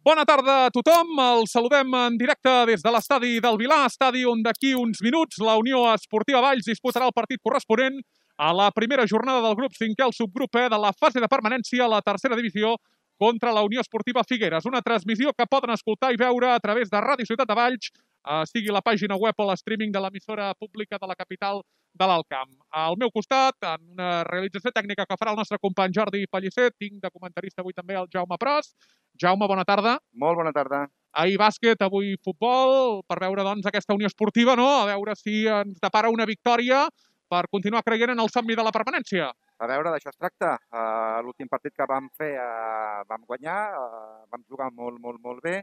Bona tarda a tothom. El saludem en directe des de l'estadi del Vilar, estadi on d'aquí uns minuts la Unió Esportiva Valls disputarà el partit corresponent a la primera jornada del grup 5è, el subgrup E de la fase de permanència a la tercera divisió contra la Unió Esportiva Figueres. Una transmissió que poden escoltar i veure a través de Ràdio Ciutat de Valls, sigui la pàgina web o l'streaming de l'emissora pública de la capital de l'Alt Camp. Al meu costat, en una realització tècnica que farà el nostre company Jordi Pellicer, tinc de comentarista avui també el Jaume Pros. Jaume, bona tarda. Molt bona tarda. Ahir bàsquet, avui futbol, per veure doncs aquesta Unió Esportiva, no? A veure si ens depara una victòria per continuar creient en el somni de la permanència. A veure, d'això es tracta. L'últim partit que vam fer vam guanyar, vam jugar molt bé.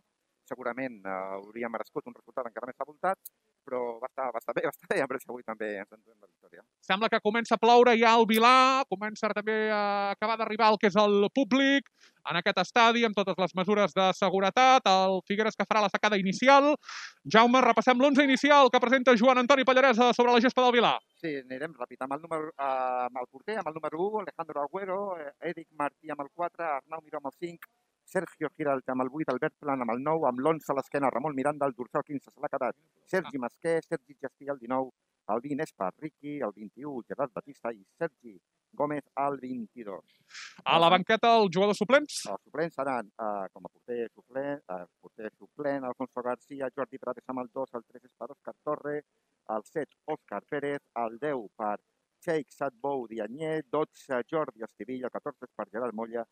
Segurament hauríem merescut un resultat encara més abultat, però va estar bé, a veure si avui també ens enduem la victòria. Sembla que comença a ploure ja al Vilar, comença també a acabar d'arribar el que és el públic en aquest estadi, amb totes les mesures de seguretat, el Figueres que farà la sacada inicial. Jaume, repassem l'11 inicial que presenta Joan Antoni Pallaresa sobre la gespa del Vilar. Sí, anirem ràpid. Amb el porter, amb el número 1, Alejandro Agüero, Eric Martí amb el 4, Arnau Miró amb el 5, Sergio Giralt amb el 8, Albert Plan amb el 9, amb l'11 a l'esquena, Ramon Miranda, el dorsal 15 se l'ha quedat, Sergi Masquer, Sergi Gestí el 19, el 20 Espa Riqui, el 21 Gerard Batista i Sergi Gómez al 22. A la banqueta, els jugadors suplents? Els suplents seran com a porter suplent, Alfonso García, Jordi Prades amb el 2, el 3 és per Òscar Torre, el 7 Òscar Pérez, el 10 per Sheikh Sadbou Dianyé, 12 Jordi Estivilla, el 14 és per Gerard Molla,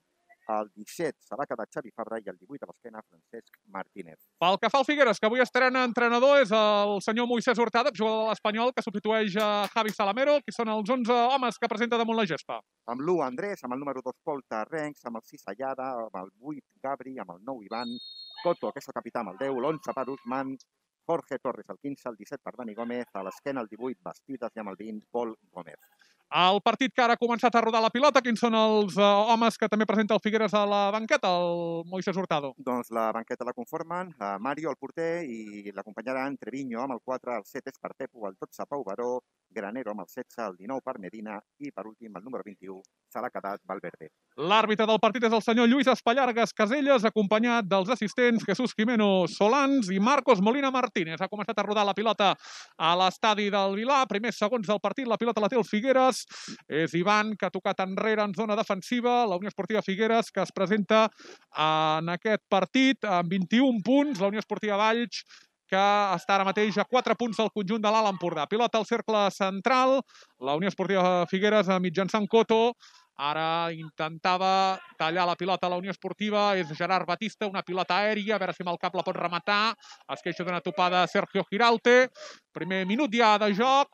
el 17 se l'ha quedat Xavi Fabra i el 18 a l'esquena Francesc Martínez. Pel que fa al Figueres, que avui estrena entrenador, és el senyor Moisés Hurtado, jugador de l'Espanyol, que substitueix a Javi Salamero, que són els 11 homes que presenta damunt la gespa. Amb l'1 Andrés, amb el número 2 Pol Tarrencs, amb el 6 Allada, amb el 8 Gabri, amb el 9 Ivan, Coto, que és el capità amb el 10, l'11 per Usman, Jorge Torres el 15, el 17 per Dani Gómez, a l'esquena el 18 Bastidas i amb el 20 Pol Gómez. El partit que ara ha començat a rodar la pilota, quins són els homes que també presenta el Figueres a la banqueta, el Moisés Hurtado? Doncs la banqueta la conformen Mario, el porter, i l'acompanyaran Treviño amb el 4, el 7 és per Pepu, el 12 Pau Baró, Granero amb el 16, el 19 per Medina i per últim el número 21 se l'ha quedat Valverde. L'àrbitre del partit és el senyor Lluís Espallargas Caselles, acompanyat dels assistents Jesús Jimeno Solans i Marcos Molina Martínez. Ha començat a rodar la pilota a l'estadi del Vilar. Primers segons del partit, la pilota la té el Figueres. És Ivan, que ha tocat enrere en zona defensiva. La Unió Esportiva Figueres, que es presenta en aquest partit amb 21 punts. La Unió Esportiva Valls, que està ara mateix a 4 punts del conjunt de l'Alt Empordà. Pilota al cercle central. La Unió Esportiva Figueres, mitjançant Coto, ara intentava tallar la pilota a la Unió Esportiva. És Gerard Batista, una pilota aèria, a veure si amb el cap la pot rematar. Es queixa d'una topada Sergio Giralte. Primer minut ja de joc.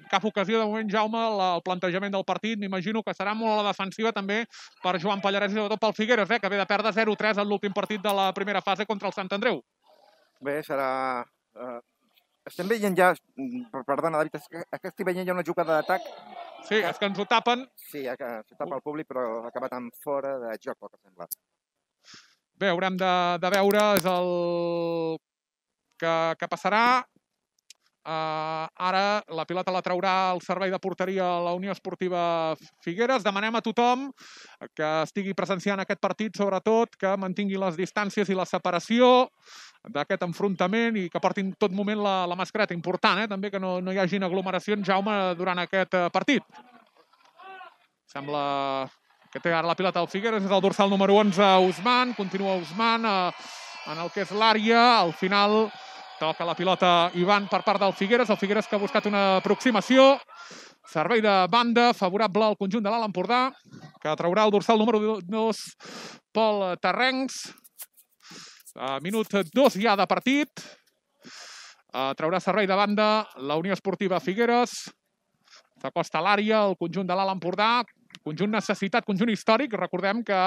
Cap ocasió, de moment, Jaume, el plantejament del partit, m'imagino que serà molt a la defensiva també per Joan Pallarès i sobretot pel Figueres, que ve de perdre 0-3 en l'últim partit de la primera fase contra el Sant Andreu. Bé, serà... Estem veient ja... Perdona, David, és que estic veient ja una jugada d'atac. Sí, és que ens ho tapen. Sí, s'ho tapa el públic, però ha acabat en fora de joc, pel que sembla. Bé, haurem de veure, és el que passarà. Ara la pilota la traurà el servei de porteria a la Unió Esportiva Figueres. Demanem a tothom que estigui presenciant aquest partit, sobretot, que mantingui les distàncies i la separació d'aquest enfrontament i que portin tot moment la mascareta. Important, també, que no hi hagin aglomeracions, Jaume, durant aquest partit. Sembla que té ara la pilota al Figueres, és el dorsal número 11, Usman. Continua Usman en el que és l'àrea. Al final toca la pilota Ivan per part del Figueres. El Figueres que ha buscat una aproximació. Servei de banda favorable al conjunt de l'Alt Empordà, que traurà el dorsal número 2, Pol Tarrencs. Minut 2 ja de partit. Traurà servei de banda la Unió Esportiva Figueres. S'acosta a l'àrea el conjunt de l'Alt Empordà. Conjunt necessitat, conjunt històric. Recordem que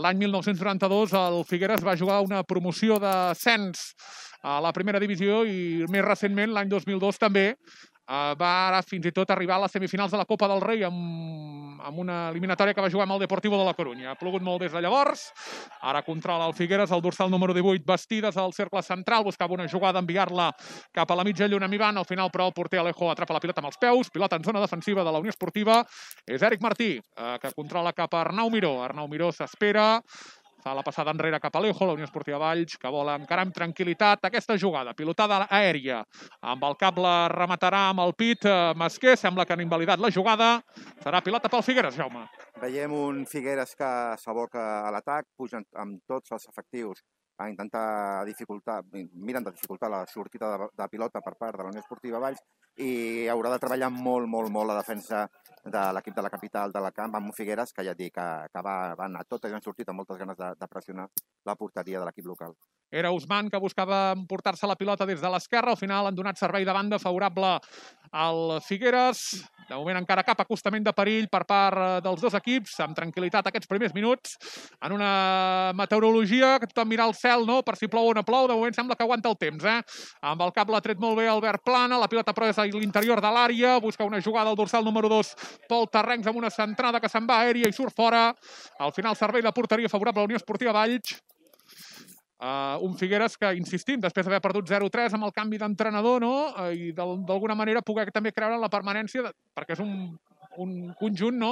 l'any 1992 el Figueres va jugar una promoció d'ascens a la primera divisió i més recentment, l'any 2002 també, va ara fins i tot arribar a les semifinals de la Copa del Rei amb una eliminatòria que va jugar amb el Deportivo de la Corunya. Ha plogut molt des de llavors. Ara controla el Figueres, el dorsal número 18, Bastidas al cercle central. Buscava una jugada, enviar-la cap a la mitja lluna amb Ivan. Al final, però, el porter Alejo atrapa la pilota amb els peus. Pilota en zona defensiva de la Unió Esportiva. És Eric Martí, que controla cap a Arnau Miró. Arnau Miró s'espera. Fa la passada enrere cap a Alejo, la Unió Esportiva Valls, que vol encarar amb tranquil·litat aquesta jugada. Pilotada aèria. Amb el cap la rematarà amb el pit Masquer. Sembla que han invalidat la jugada. Serà pilota pel Figueres, Jaume. Veiem un Figueres que s'aboca a l'atac, pugen amb tots els efectius a intentar miren de dificultar la sortida de pilota per part de la Unió Esportiva Valls i haurà de treballar molt la defensa de l'equip de la capital de la camp amb un Figueres que ja et dic que va anar tot i han sortit amb moltes ganes de pressionar la porteria de l'equip local. Era Ousmane que buscava emportar-se la pilota des de l'esquerra. Al final han donat servei de banda favorable al Figueres. De moment encara cap acostament de perill per part dels dos equips. Amb tranquil·litat aquests primers minuts. En una meteorologia que tothom mira al cel, no? Per si plou o no plou. De moment sembla que aguanta el temps, Amb el cap l'ha tret molt bé Albert Plana. La pilota però és a l'interior de l'àrea. Busca una jugada al dorsal número 2 Pol Terrencs amb una centrada que se'n va aèria i surt fora. Al final servei de porteria favorable a la Unió Esportiva Valls. Un Figueres que, insistim, després d'haver perdut 0-3 amb el canvi d'entrenador, no? I d'alguna manera poder també creure en la permanència, perquè és un conjunt, no?,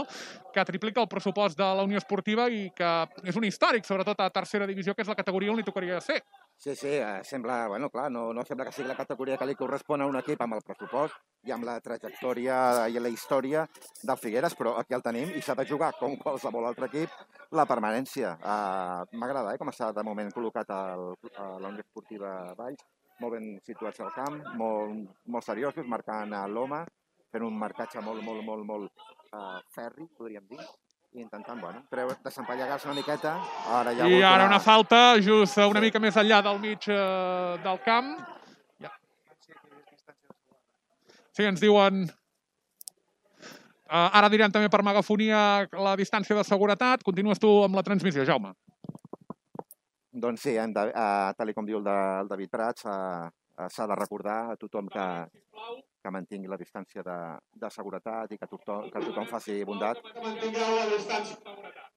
que triplica el pressupost de la Unió Esportiva i que és un històric, sobretot a tercera divisió, que és la categoria on li tocaria ser. Sí, sembla, bueno, clar, no sembla que sigui la categoria que li correspon a un equip amb el pressupost i amb la trajectòria i la història del Figueres, però aquí el tenim i s'ha de jugar, com qualsevol altre equip, la permanència. M'agrada com està de moment col·locat a la Unió Esportiva Valls, molt ben situats al camp, molt seriosos, marcant l'home, fent un marcatge molt ferri, podríem dir, i intentant, desempallegar-se una miqueta. I ara una falta just una mica més enllà del mig del camp. Sí, ens diuen... Ara diran també per megafonia la distància de seguretat. Continues tu amb la transmissió, Jaume. Doncs sí, tal com diu el David Prats, s'ha de recordar a tothom que mantingui la distància de seguretat i que tothom faci bondat. Que mantingueu la distància de seguretat.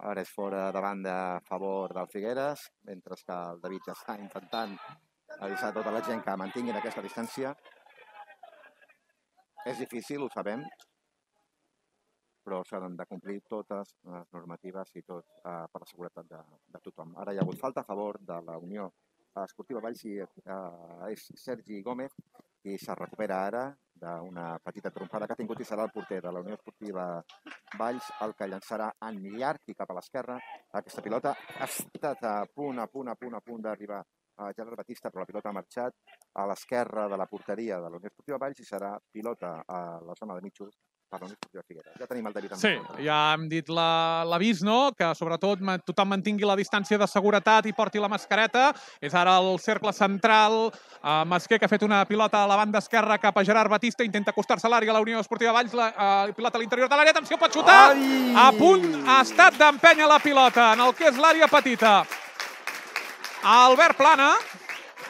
Ara és fora de banda a favor del Figueres, mentre que el David ja està intentant avisar tota la gent que mantinguin aquesta distància. És difícil, ho sabem, però s'han de complir totes les normatives i tot per la seguretat de tothom. Ara hi ha hagut falta a favor de la Unió Esportiva Valls i és Sergi Gómez qui se recupera ara d'una petita trompada que ha tingut i serà el porter de la Unió Esportiva Valls el que llançarà en llarg i cap a l'esquerra. Aquesta pilota ha estat a punt d'arribar a Gerard Batista, però la pilota ha marxat a l'esquerra de la porteria de la Unió Esportiva Valls i serà pilota a la zona de mitjos per la Unió Esportiva Figueres. Ja tenim el David. Sí, ja hem dit l'avís, no?, que sobretot tothom mantingui la distància de seguretat i porti la mascareta. És ara el cercle central. Masquer, que ha fet una pilota a la banda esquerra cap a Gerard Batista, intenta acostar-se a l'àrea a la Unió Esportiva Valls, pilota a l'interior de l'àrea, atenció, pot xutar! A punt ha estat d'empènyer la pilota en el que és l'àrea petita. Albert Plana,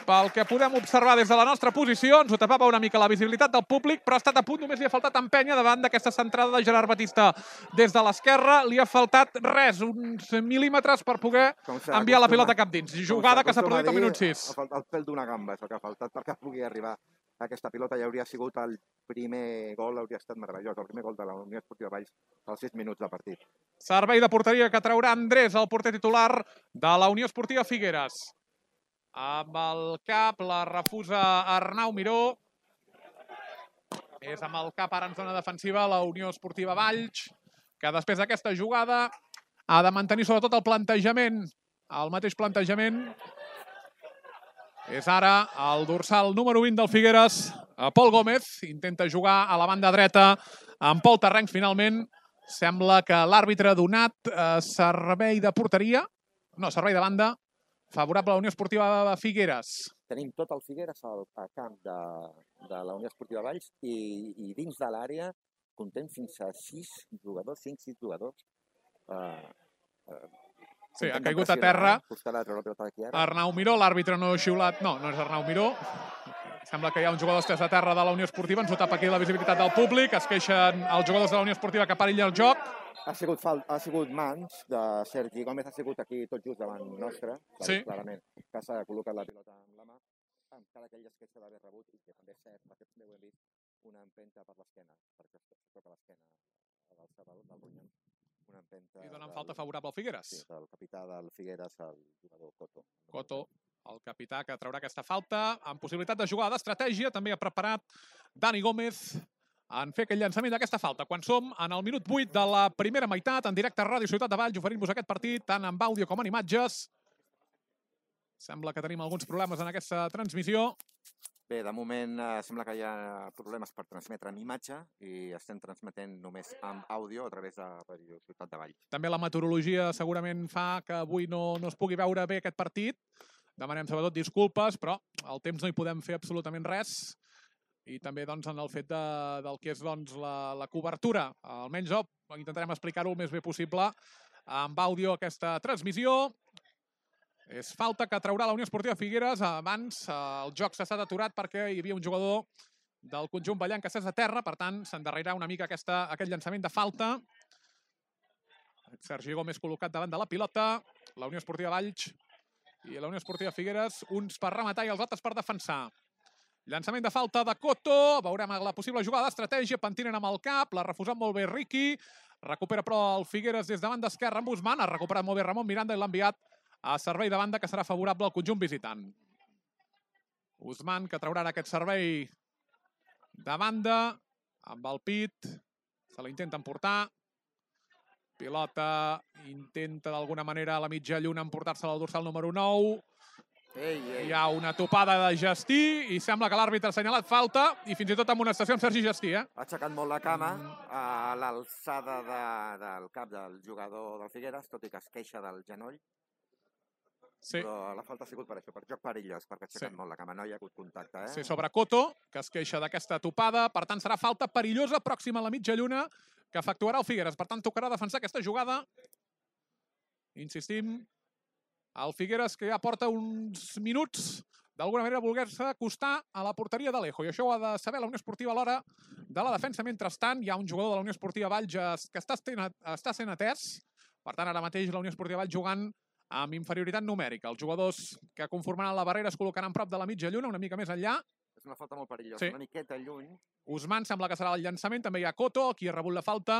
pel que podem observar des de la nostra posició, ens ho tapava una mica la visibilitat del públic, però ha estat a punt, només li ha faltat empènyer davant d'aquesta centrada de Gerard Batista des de l'esquerra. Li ha faltat res, uns mil·límetres per poder enviar la pilota cap dins. Jugada que s'ha produït al minut 6. El pèl d'una gamba és el que ha faltat perquè pugui arribar a aquesta pilota i hauria sigut el primer gol, hauria estat meravellós, el primer gol de la Unió Esportiva Valls als 6 minuts de partit. Servei de porteria que traurà Andrés, el porter titular de la Unió Esportiva Figueres. Amb el cap la refusa Arnau Miró. És amb el cap ara en zona defensiva la Unió Esportiva Valls, que després d'aquesta jugada ha de mantenir sobretot el plantejament, el mateix plantejament. És ara el dorsal número 20 del Figueres, Pol Gómez, intenta jugar a la banda dreta amb Pol Terrencs finalment. Sembla que l'àrbitre ha donat servei de porteria, no, servei de banda, favorable a la Unió Esportiva de Figueres. Tenim tot el Figueres al camp de la Unió Esportiva Valls i dins de l'àrea comptem fins a 6 jugadors, 5-6 jugadors. Sí, ha caigut a terra. Arnau Miró, l'àrbitre no ha xiulat. No, no és Arnau Miró. Sembla que hi ha un jugador estès a terra de la Unió Esportiva. Ens ho tapa aquí la visibilitat del públic. Es queixen els jugadors de la Unió Esportiva que perillen el joc. Ha sigut mans de Sergi Gómez, ha sigut aquí tot just davant nostre, clarament, que s'ha col·locat la pilota amb la mà, encara que ell es queixa d'haver rebut, i que també és cert, perquè també ho hem vist, una empenta per l'esquena, perquè es toca l'esquena a l'alçada del ronyó. Una empenta... I donen falta favorable al Figueres. Sí, del capità del Figueres, el jugador Coto. Coto, el capità que traurà aquesta falta, amb possibilitat de jugar d'estratègia, també ha preparat Dani Gómez en fer aquell llançament d'aquesta falta. Quan som en el minut 8 de la primera meitat, en directe a Ràdio Ciutat de Valls, oferint-vos aquest partit, tant amb àudio com en imatges. Sembla que tenim alguns problemes en aquesta transmissió. Bé, de moment sembla que hi ha problemes per transmetre en imatge i estem transmetent només amb àudio a través de Ràdio Ciutat de Valls. També la meteorologia segurament fa que avui no es pugui veure bé aquest partit. Demanem sobretot disculpes, però el temps no hi podem fer absolutament res. I també en el fet del que és la cobertura. Almenys intentarem explicar-ho el més bé possible amb àudio aquesta transmissió. És falta que traurà la Unió Esportiva Figueres. Abans el joc s'ha estat aturat perquè hi havia un jugador del conjunt ballant que s'és a terra, per tant s'endarrerà una mica aquest llançament de falta. Sergi Gómez col·locat davant de la pilota. La Unió Esportiva Valls i la Unió Esportiva Figueres, uns per rematar i els altres per defensar. Llançament de falta de Coto, veurem la possible jugada d'estratègia, pentinen amb el cap, l'ha refusat molt bé Riqui, recupera però el Figueres des de banda esquerra amb Usman, ha recuperat molt bé Ramon Miranda i l'ha enviat a servei de banda que serà favorable al conjunt visitant. Usman que traurà aquest servei de banda amb el pit, se l'intenta emportar. Pilota intenta d'alguna manera a la mitja lluna emportar-se al dorsal número 9. Hi ha una topada de Gestí i sembla que l'àrbitre ha assenyalat falta i fins i tot amb una estació amb Sergi Gestí. Ha aixecat molt la cama a l'alçada del cap del jugador del Figueres, tot i que es queixa del genoll. Sí. Però la falta ha sigut per això, per joc perillós, perquè ha aixecat molt la cama, no hi ha hagut contacte. Sí, sobre Coto, que es queixa d'aquesta topada, per tant serà falta perillosa pròxima a la mitja lluna que efectuarà el Figueres. Per tant tocarà defensar aquesta jugada. Insistim, el Figueres que ja porta uns minuts d'alguna manera voler-se acostar a la porteria d'Alejo, i això ho ha de saber la Unió Esportiva a l'hora de la defensa. Mentrestant, hi ha un jugador de la Unió Esportiva Valls que està sent atès. Per tant, ara mateix la Unió Esportiva Valls jugant amb inferioritat numèrica. Els jugadors que conformaran la barrera es col·locaran prop de la mitja lluna, una mica més enllà. És una falta molt perillosa, una miqueta lluny. Usman sembla que serà el llançament, també hi ha Coto, qui ha rebut la falta,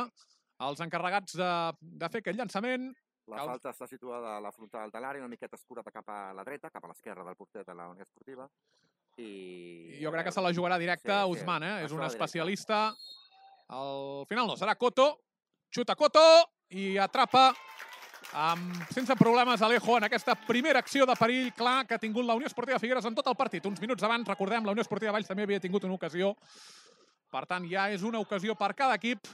els encarregats de fer aquest llançament. La falta està situada a la frontal de l'àrea, una miqueta escurada cap a la dreta, cap a l'esquerra del porter de la Unió Esportiva. Jo crec que se la jugarà directe a Usman, és un especialista. Al final no, serà Coto, xuta Coto i atrapa sense problemes Alejo en aquesta primera acció de perill clar que ha tingut la Unió Esportiva Figueres en tot el partit. Uns minuts abans, recordem, la Unió Esportiva Valls també havia tingut una ocasió. Per tant, ja és una ocasió per cada equip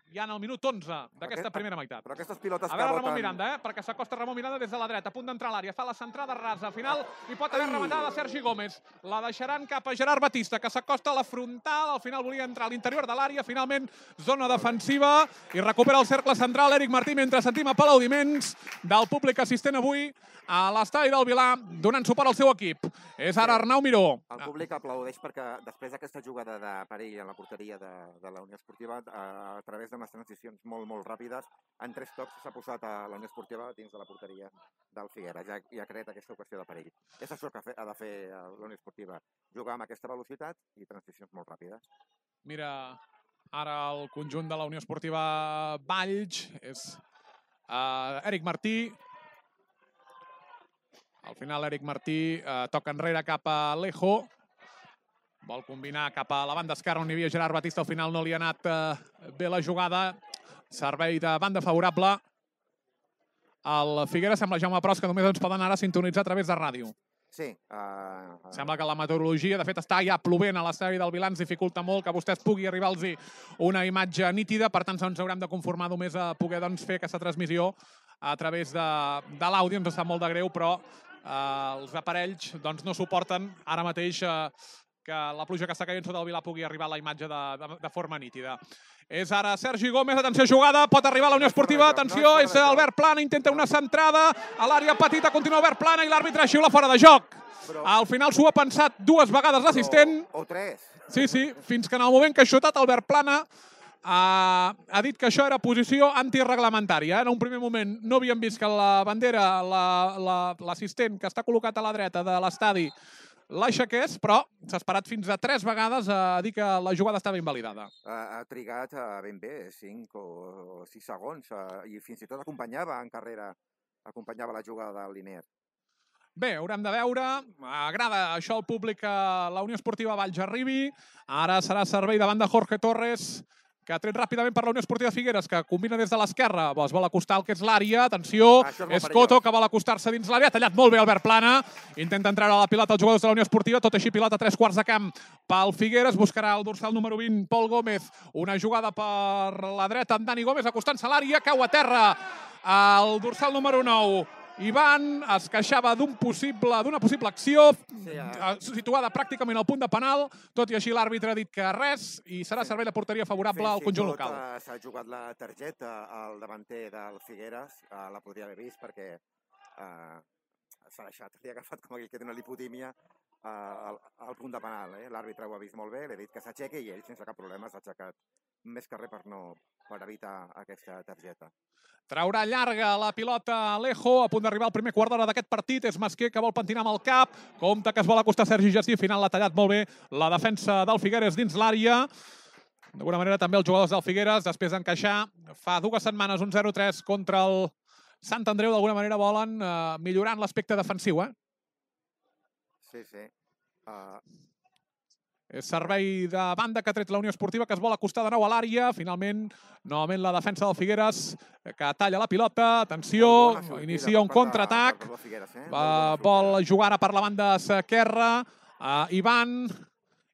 ja en el minut 11 d'aquesta primera meitat. Però aquestes pilotes a veure Ramon Miranda, perquè s'acosta Ramon Miranda des de la dreta, a punt d'entrar a l'àrea, fa la centrada rasa, al final hi pot haver rematada de Sergi Gómez. La deixaran cap a Gerard Batista, que s'acosta a la frontal, al final volia entrar a l'interior de l'àrea, finalment zona defensiva, i recupera el cercle central Eric Martí, mentre sentim aplaudiments del públic assistent avui a l'estadi del Vilar, donant suport al seu equip. És ara Arnau Miró. El públic aplaudeix perquè després d'aquesta jugada de perill a la porteria de la Unió Esportiva, a través d'unes transicions molt ràpides, en 3 tocs s'ha posat a la Unió Esportiva dins de la porteria del Figueres. Ja ha creat aquesta ocasió de perill. És això que ha de fer la Unió Esportiva, jugar amb aquesta velocitat i transicions molt ràpides. Mira, ara el conjunt de la Unió Esportiva Valls és Eric Martí. Al final Eric Martí toca enrere cap a Alejo. Vol combinar cap a la banda esquerra on hi havia Gerard Batista. Al final no li ha anat bé la jugada. Servei de banda favorable. El Figueres sembla, Jaume Pros, que només ens poden ara sintonitzar a través de ràdio. Sí. Sembla que la meteorologia, de fet, està ja plovent a l'estadi del Vilar, ens dificulta molt que vostès pugui arribar-los una imatge nítida, per tant ens haurem de conformar només a poder fer aquesta transmissió a través de l'àudio. Ens sap molt de greu, però els aparells no suporten ara mateix que la pluja que està caient sota el Vilar pugui arribar a la imatge de forma nítida. És ara Sergi Gómez, atenció jugada, pot arribar a la Unió Esportiva, atenció, és Albert Plana, intenta una centrada, a l'àrea petita continua Albert Plana i l'àrbitre xiula fora de joc. Al final s'ho ha pensat 2 vegades l'assistent. O 3. Sí, fins que en el moment que ha xutat Albert Plana ha dit que això era posició antirreglamentària. En un primer moment no havíem vist que la bandera, l'assistent que està col·locat a la dreta de l'estadi, l'aixequés, però s'ha esperat fins a 3 vegades a dir que la jugada estava invalidada. Ha trigat ben bé, 5 o 6 segons, i fins i tot acompanyava en carrera, acompanyava la jugada del Linier. Bé, haurem de veure. Agrada això al públic que la Unió Esportiva Valls arribi. Ara serà servei davant de Jorge Torres, que ha tret ràpidament per la Unió Esportiva Figueres, que combina des de l'esquerra. Es vol acostar al que és l'àrea. Atenció, és Coto, que vol acostar-se dins l'àrea. Ha tallat molt bé Albert Plana. Intenta entrar a la pilota els jugadors de la Unió Esportiva. Tot així, pilota 3/4 de camp pel Figueres. Buscarà el dorsal número 20, Pol Gómez. Una jugada per la dreta amb Dani Gómez, acostant-se a l'àrea. Cau a terra el dorsal número 9. Ivan es queixava d'una possible acció situada pràcticament al punt de penal, tot i així l'àrbitre ha dit que res i serà servei de porteria favorable al conjunt local. S'ha jugat la targeta al davanter del Figueres, la podria haver vist perquè s'ha deixat, li ha agafat com aquell que té una lipotímia al punt de penal. L'àrbitre ho ha vist molt bé, li ha dit que s'aixequi i ell sense cap problema s'ha aixecat més que res per evitar aquesta targeta. Traurà llarga la pilota Alejo, a punt d'arribar al primer quart d'hora d'aquest partit. És Masquer que vol pentinar amb el cap. Compte que es vol acostar Sergi Gestí. Al final l'ha tallat molt bé la defensa del Figueres dins l'àrea. D'alguna manera també els jugadors del Figueres, després d'encaixar fa 2 setmanes un 0-3 contra el Sant Andreu, d'alguna manera volen millorar en l'aspecte defensiu. Sí. És servei de banda que ha tret la Unió Esportiva, que es vol acostar de nou a l'àrea. Finalment, novament la defensa del Figueres, que talla la pilota. Atenció, inicia un contraatac. Vol jugar ara per la banda esquerra.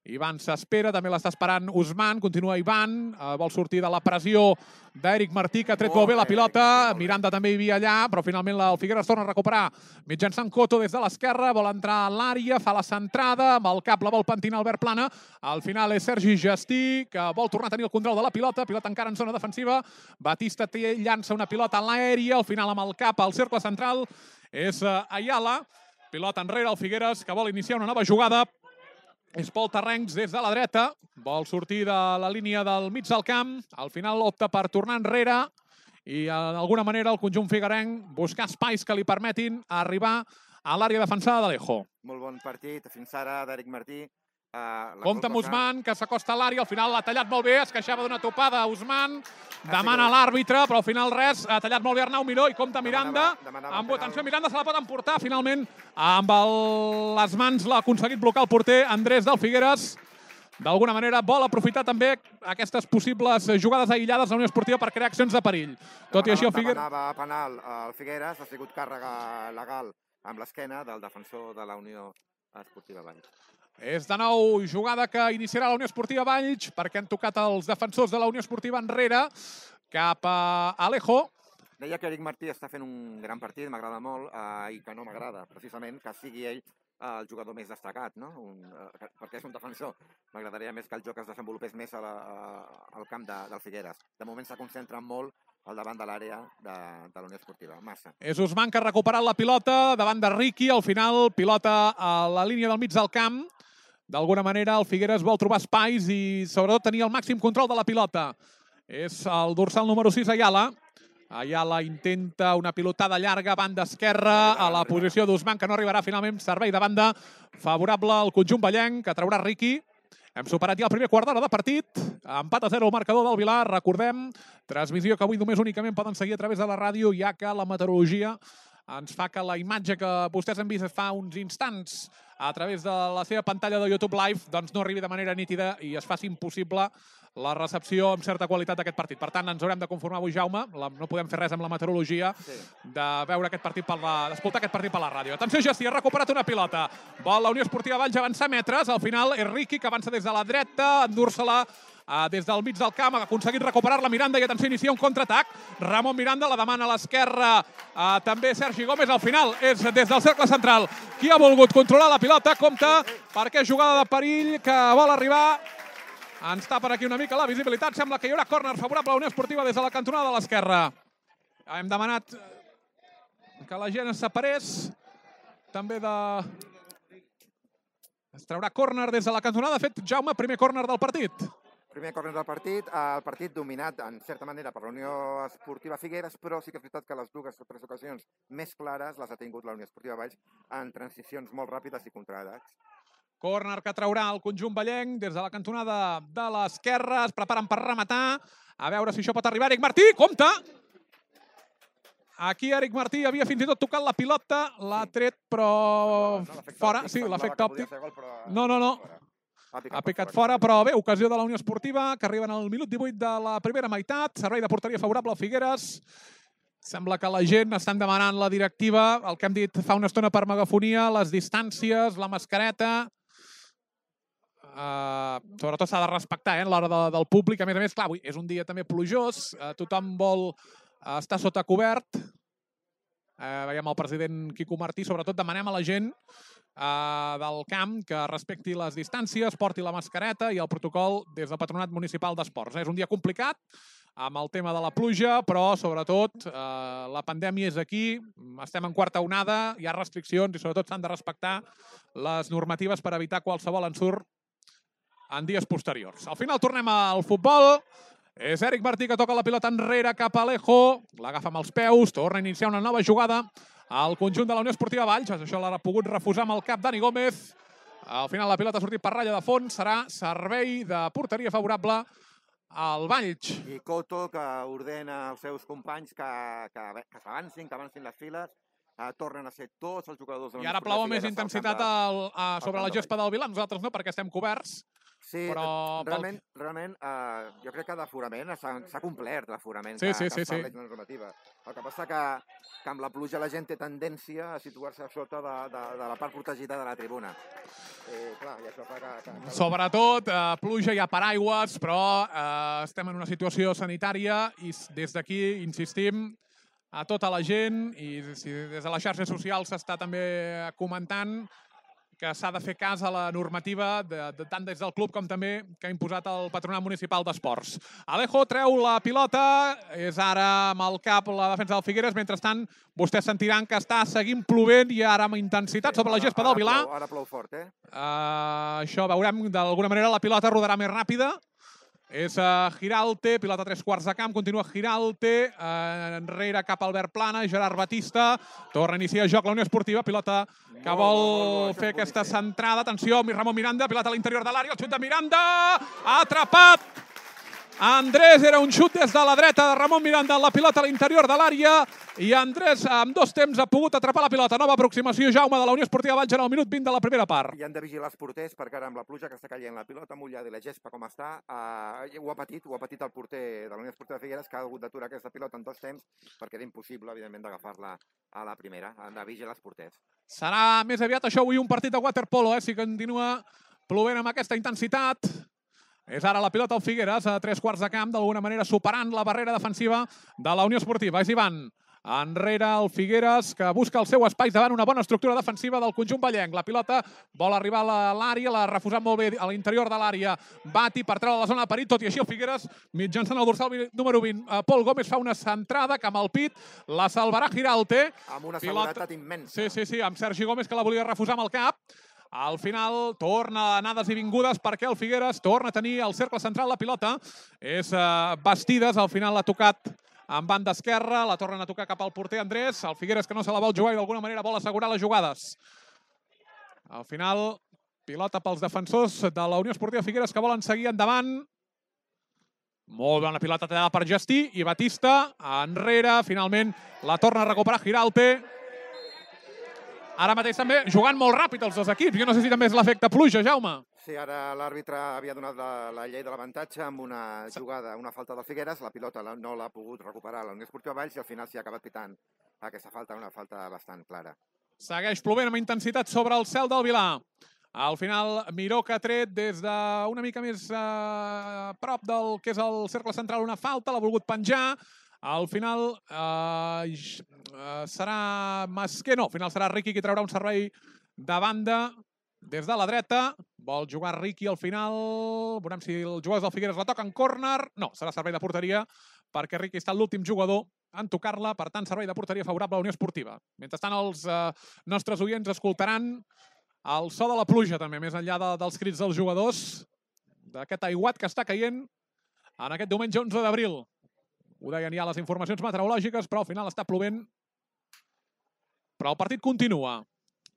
Ivan s'espera, també l'està esperant Usman, continua Ivan, vol sortir de la pressió d'Eric Martí, que ha tret molt bé la pilota. Miranda també hi havia allà, però finalment el Figueres torna a recuperar mitjançant Coto des de l'esquerra, vol entrar a l'àrea, fa la centrada, amb el cap la vol pentinar Albert Plana. Al final és Sergi Gestí, que vol tornar a tenir el control de la pilota encara en zona defensiva. Batista llança una pilota en l'aèria, al final amb el cap al cercle central és Ayala. Pilota enrere el Figueres, que vol iniciar una nova jugada. És Pol Terrencs des de la dreta, vol sortir de la línia del mig del camp, al final opta per tornar enrere i d'alguna manera el conjunt figuerenc buscar espais que li permetin arribar a l'àrea defensada d'Alejo. Molt bon partit fins ara d'Eric Martí. Compte amb Usman, que s'acosta a l'àrea, al final l'ha tallat molt bé, es queixava d'una topada a Usman, demana l'àrbitre, però al final res, ha tallat molt bé Arnau Miró i compte Miranda. Atenció, Miranda se la pot emportar, finalment, amb les mans l'ha aconseguit blocar el porter Andrés del Figueres. D'alguna manera vol aprofitar també aquestes possibles jugades aïllades de la Unió Esportiva per crear accions de perill. Tot i així el Figueres... Demanava penal al Figueres, ha sigut càrrega legal amb l'esquena del defensor de la Unió Esportiva Valls. És de nou jugada que iniciarà la Unió Esportiva Valls, perquè han tocat els defensors de la Unió Esportiva enrere, cap a Alejo. Deia que Eric Martí està fent un gran partit, m'agrada molt, i que no m'agrada, precisament, que sigui ell el jugador més destacat, no? Perquè és un defensor. M'agradaria més que el joc es desenvolupés més al camp del Figueres. De moment s'ha concentrat molt al davant de l'àrea de la Unió Esportiva. Massa. És Usman que ha recuperat la pilota davant de Riqui. Al final, pilota a la línia del mig del camp. D'alguna manera, el Figueres vol trobar espais i, sobretot, tenir el màxim control de la pilota. És el dorsal número 6, Ayala. Ayala intenta una pilotada llarga, banda esquerra, a la posició d'Usman, que no arribarà finalment. Servei de banda favorable al conjunt ballenc, que traurà Riqui. Hem superat ja el primer quart d'hora de partit. Empat a 0 el marcador del Vilar. Recordem, transmissió que avui només únicament poden seguir a través de la ràdio, ja que la meteorologia ens fa que la imatge que vostès han vist fa uns instants a través de la seva pantalla de YouTube Live doncs no arribi de manera nítida i es faci impossible la recepció amb certa qualitat d'aquest partit. Per tant, ens haurem de conformar avui, Jaume. No podem fer res amb la meteorologia de veure aquest partit d'escoltar aquest partit per la ràdio. Atenció, Gestí, ha recuperat una pilota. Vol la Unió Esportiva Valls avançar metres. Al final és Riqui, que avança des de la dreta, endur-se-la des del mig del camp, ha aconseguit recuperar-la Miranda i atenció, inicia un contraatac. Ramon Miranda la demana a l'esquerra, també Sergi Gómez. Al final és des del cercle central qui ha volgut controlar la pilota. Compte, perquè és jugada de perill que vol arribar. Ens tapen aquí una mica la visibilitat. Sembla que hi haurà córner favorable a la Unió Esportiva des de la cantonada de l'esquerra. Hem demanat que la gent es separés. També es traurà córner des de la cantonada. De fet, Jaume, primer córner del partit. Primer córner del partit, el partit dominat en certa manera per la Unió Esportiva Figueres, però sí que és veritat que les dues o tres ocasions més clares les ha tingut la Unió Esportiva Valls en transicions molt ràpides i contraatacs. Córner que traurà el conjunt ballenc des de la cantonada de l'esquerra. Es preparen per rematar. A veure si això pot arribar. Eric Martí, compte! Aquí Eric Martí havia fins i tot tocat la pilota. L'ha tret, però fora. Sí, l'efecte òptic. No. Ha picat fora, però bé, ocasió de la Unió Esportiva, que arriben al minut 18 de la primera meitat. Servei de porteria favorable al Figueres. Sembla que la gent estan demanant la directiva, el que hem dit fa una estona per megafonia, les distàncies, la mascareta. Sobretot s'ha de respectar a l'hora del públic. A més, clar, avui és un dia també plujós, tothom vol estar sota cobert. Veiem el president Quico Martí, sobretot demanem a la gent del camp que respecti les distàncies, porti la mascareta i el protocol des del Patronat Municipal d'Esports. És un dia complicat amb el tema de la pluja, però sobretot la pandèmia és aquí, estem en quarta onada, hi ha restriccions i sobretot s'han de respectar les normatives per evitar qualsevol ensurt en dies posteriors. Al final tornem al futbol. És Eric Martí que toca la pilota enrere cap a Alejo. L'agafa amb els peus, torna a iniciar una nova jugada al conjunt de la Unió Esportiva Valls. Això l'ha pogut refusar amb el cap Dani Gómez. Al final la pilota ha sortit per ratlla de fons. Serà servei de porteria favorable al Valls. I Coto, que ordena als seus companys que s'avancin, que avancin les files. Tornen a ser tots els jugadors de la Unió Esportiva. I ara plou amb més intensitat sobre la gespa del Vilà. Nosaltres no, perquè estem coberts. Sí, però realment jo crec que d'aforament s'ha complert l'aforament que estableix la normativa. El que passa que amb la pluja la gent té tendència a situar-se a sota de la part protegida de la tribuna. Clar, i això fa que... Sobretot, pluja, hi ha paraigües, però estem en una situació sanitària i des d'aquí insistim a tota la gent i des de les xarxes socials s'està també comentant que s'ha de fer cas a la normativa tant des del club com també que ha imposat el Patronat Municipal d'Esports. Alejo treu la pilota, és ara amb el cap la defensa del Figueres. Mentrestant, vostès sentiran que està seguint plovent i ara amb intensitat sobre la gespa del Vilà. Ara plou fort, Això veurem, d'alguna manera la pilota rodarà més ràpida. És Giralte, pilota a 3/4 de camp, continua Giralte, enrere cap a Albert Plana, Gerard Batista, torna a iniciar joc la Unió Esportiva, pilota que vol fer aquesta centrada, atenció, Ramon Miranda, pilota a l'interior de l'àrea, el xut de Miranda, atrapat! Andrés, era un xut des de la dreta de Ramon Miranda, la pilota a l'interior de l'àrea i Andrés amb 2 temps ha pogut atrapar la pilota. Nova aproximació, Jaume, de la Unió Esportiva Valls en el minut 20 de la primera part. I han de vigilar els porters perquè ara amb la pluja que està caient, la pilota mullada i la gespa com està, ho ha patit el porter de la Unió Esportiva Figueres, que ha hagut d'aturar aquesta pilota en 2 temps perquè era impossible, evidentment, d'agafar-la a la primera. Han de vigilar els porters. Serà més aviat això avui un partit de waterpolo, si continua plovent amb aquesta intensitat. És ara la pilota al Figueres, a 3/4 de camp, d'alguna manera superant la barrera defensiva de la Unió Esportiva. És Ivan, enrere el Figueres, que busca el seu espai davant una bona estructura defensiva del conjunt ballenc. La pilota vol arribar a l'àrea, l'ha refusat molt bé a l'interior de l'àrea. Bati per treure la zona de perill, tot i així el Figueres, mitjançant el dorsal número 20. Pol Gómez fa una centrada que amb el pit la salvarà Giralte. Amb una seguretat immensa. Sí, amb Sergi Gómez, que la volia refusar amb el cap. Al final torna anades i vingudes perquè el Figueres torna a tenir el cercle central. La pilota és Bastides, al final l'ha tocat en banda esquerra, la tornen a tocar cap al porter Andrés. El Figueres que no se la vol jugar i d'alguna manera vol assegurar les jugades. Al final, pilota pels defensors de la Unió Esportiva Figueres que volen seguir endavant. Molt bona pilota tallada per Gestí i Batista enrere. Finalment la torna a recuperar Giralte. Ara mateix també jugant molt ràpid els dos equips. Jo no sé si també és l'efecte pluja, Jaume. Sí, ara l'àrbitre havia donat la llei de l'avantatge amb una jugada, una falta del Figueres. La pilota no l'ha pogut recuperar la Unió Esportiva Valls i al final s'hi ha acabat pitant aquesta falta, una falta bastant clara. Segueix plovent amb intensitat sobre el cel del Vilà. Al final, Miró que ha tret des d'una mica més a prop del que és el cercle central una falta, l'ha volgut penjar. Al final serà Masquer, no, al final serà Riqui qui traurà un servei de banda des de la dreta. Vol jugar Riqui al final. Veurem si els jugadors del Figueres la toquen córner. No, serà servei de porteria perquè Riqui està l'últim jugador en tocar-la. Per tant, servei de porteria favorable a la Unió Esportiva. Mentrestant, els nostres oients escoltaran el so de la pluja també, més enllà dels crits dels jugadors, d'aquest aiguat que està caient en aquest diumenge 11 d'abril. Ho deien ja les informacions meteorològiques, però al final està plovent. Però el partit continua.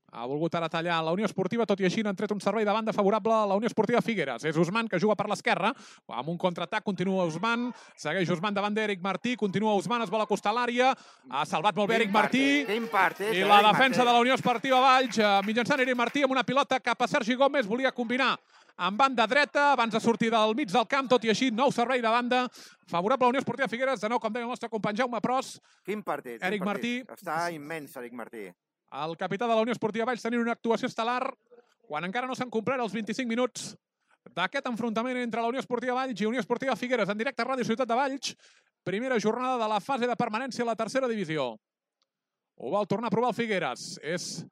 Ha volgut ara tallar la Unió Esportiva, tot i així n'han tret un servei de banda favorable a la Unió Esportiva Figueres. És Usman, que juga per l'esquerra, amb un contraatac, continua Usman, segueix Usman davant d'Eric Martí, continua Usman, es vol acostar a l'àrea, ha salvat molt bé Eric Martí, i la defensa de la Unió Esportiva Valls, mitjançant Eric Martí, amb una pilota cap a Sergi Gómez, volia combinar amb banda dreta, abans de sortir del mig del camp, tot i així, nou servei de banda, favorable a la Unió Esportiva Figueres, de nou, com deia el nostre company Jaume Pros. Quin partit, Eric Martí. Està immens, Eric Martí. El capità de la Unió Esportiva Valls tenint una actuació estel·lar quan encara no s'han complert els 25 minuts d'aquest enfrontament entre la Unió Esportiva Valls i Unió Esportiva Figueres en directe a Ràdio Ciutat de Valls. Primera jornada de la fase de permanència a la tercera divisió. Ho vol tornar a provar el Figueres. És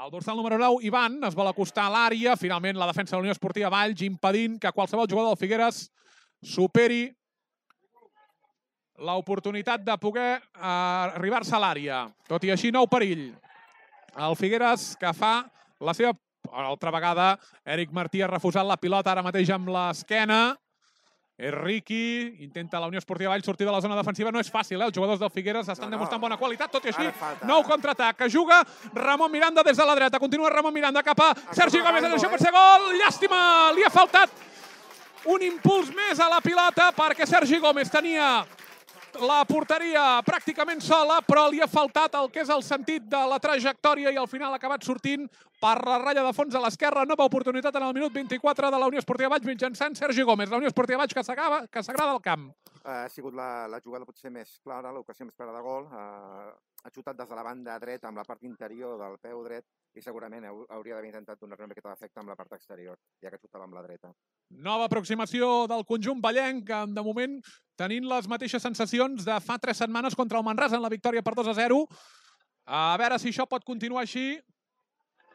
el dorsal número 9, Ivan, es vol acostar a l'àrea. Finalment la defensa de la Unió Esportiva Valls impedint que qualsevol jugador del Figueres superi l'oportunitat de poder arribar-se a l'àrea. Tot i així, nou perill. El Figueres, que fa la seva... Altra vegada, Eric Martí ha refusat la pilota ara mateix amb l'esquena. És Riqui, intenta la Unió Esportiva Valls sortir de la zona defensiva. No és fàcil, els jugadors del Figueres estan demostrant bona qualitat. Tot i així, nou contraatac, que juga Ramon Miranda des de la dreta. Continua Ramon Miranda cap a Sergi Gómez. Atenció per ser gol. Llàstima, li ha faltat un impuls més a la pilota perquè Sergi Gómez tenia la porteria pràcticament sola, però li ha faltat el que és el sentit de la trajectòria i al final ha acabat sortint per la ratlla de fons a l'esquerra. Nova oportunitat en el minut 24 de la Unió Esportiva Valls mitjançant Sergi Gómez. La Unió Esportiva Valls que s'agrada al camp. Ha sigut la jugada potser més clara, l'ocasió més clara de gol. Ha xutat des de la banda dreta amb la part interior del peu dret i segurament hauria d'haver intentat donar una miqueta d'efecte amb la part exterior, ja que xutava amb la dreta. Nova aproximació del conjunt vallenc, de moment tenint les mateixes sensacions de fa 3 setmanes contra el Manresa en la victòria per 2-0. A veure si això pot continuar així.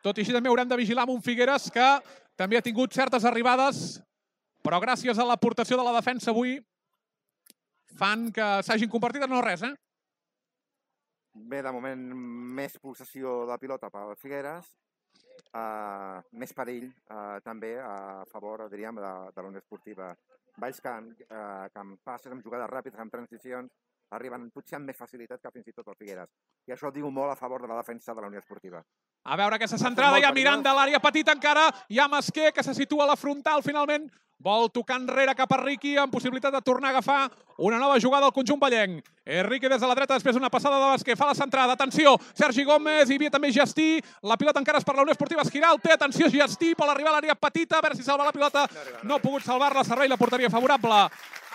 Tot i així també haurem de vigilar amb un Figueres que també ha tingut certes arribades, però gràcies a l'aportació de la defensa avui fan que s'hagin convertit en no res, Bé, de moment, més possessió de pilota per Figueres, més perill també a favor, diríem, de la Unió Esportiva Valls, que amb passes, amb jugades ràpides, amb transicions, arriben potser amb més facilitat que fins i tot el Figueres. I això diu molt a favor de la defensa de la Unió Esportiva. A veure aquesta centrada, hi ha Miranda a l'àrea petita encara, hi ha Masquer que se situa a la frontal finalment, vol tocar enrere cap a Riqui amb possibilitat de tornar a agafar una nova jugada al conjunt vallenc. Riqui des de la dreta, després una passada de Masquer, fa la centrada, atenció, Sergi Gómez, hi havia també Gestí, la pilota encara és per la Unió Esportiva Esquiralte, atenció Gestí, vol arribar a l'àrea petita, a veure si salva la pilota, no ha pogut salvar-la, servei la porteria favorable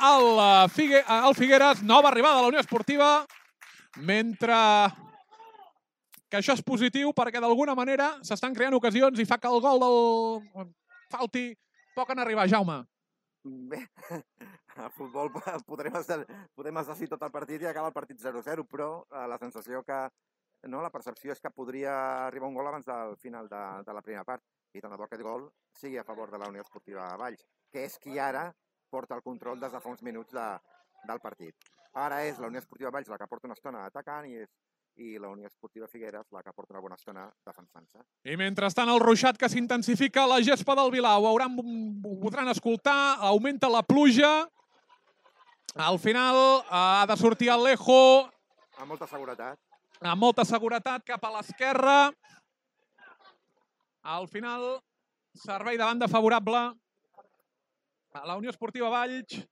al Figueres, nova arribada de la Unió Esportiva, mentre que això és positiu perquè d'alguna manera s'estan creant ocasions i fa que el gol del falti poc en arribar, Jaume. Bé, a futbol podem assistir tot el partit i acabar el partit 0-0, però la sensació que, la percepció és que podria arribar un gol abans del final de la primera part i tant de bo aquest gol sigui a favor de la Unió Esportiva Valls, que és qui ara porta el control des de fa uns minuts del partit. Ara és la Unió Esportiva Valls la que porta una estona atacant i la Unió Esportiva Figueres la que porta una bona estona defensant-se. I mentrestant el ruixat que s'intensifica a la gespa del Vilau. Ho podran escoltar, augmenta la pluja. Al final ha de sortir Alejo. Amb molta seguretat. Amb molta seguretat cap a l'esquerra. Al final, servei de banda favorable a la Unió Esportiva Valls.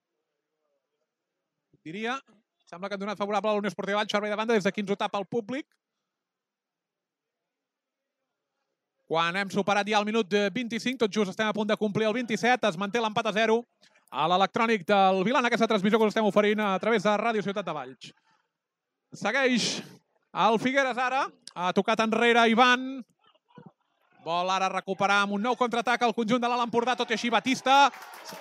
Diria... Sembla que han donat favorable a la Unió Esportiva Valls, servei de banda, des d'aquí ens ho tapa el públic. Quan hem superat ja el minut 25, tot just estem a punt de complir el 27, es manté l'empat a 0 a l'electrònic del Vilà en aquesta transmissió que us estem oferint a través de Ràdio Ciutat de Valls. Segueix el Figueres ara, ha tocat enrere Ivan, vol ara recuperar amb un nou contraatac al conjunt de l'Alt Empordà, tot i així Batista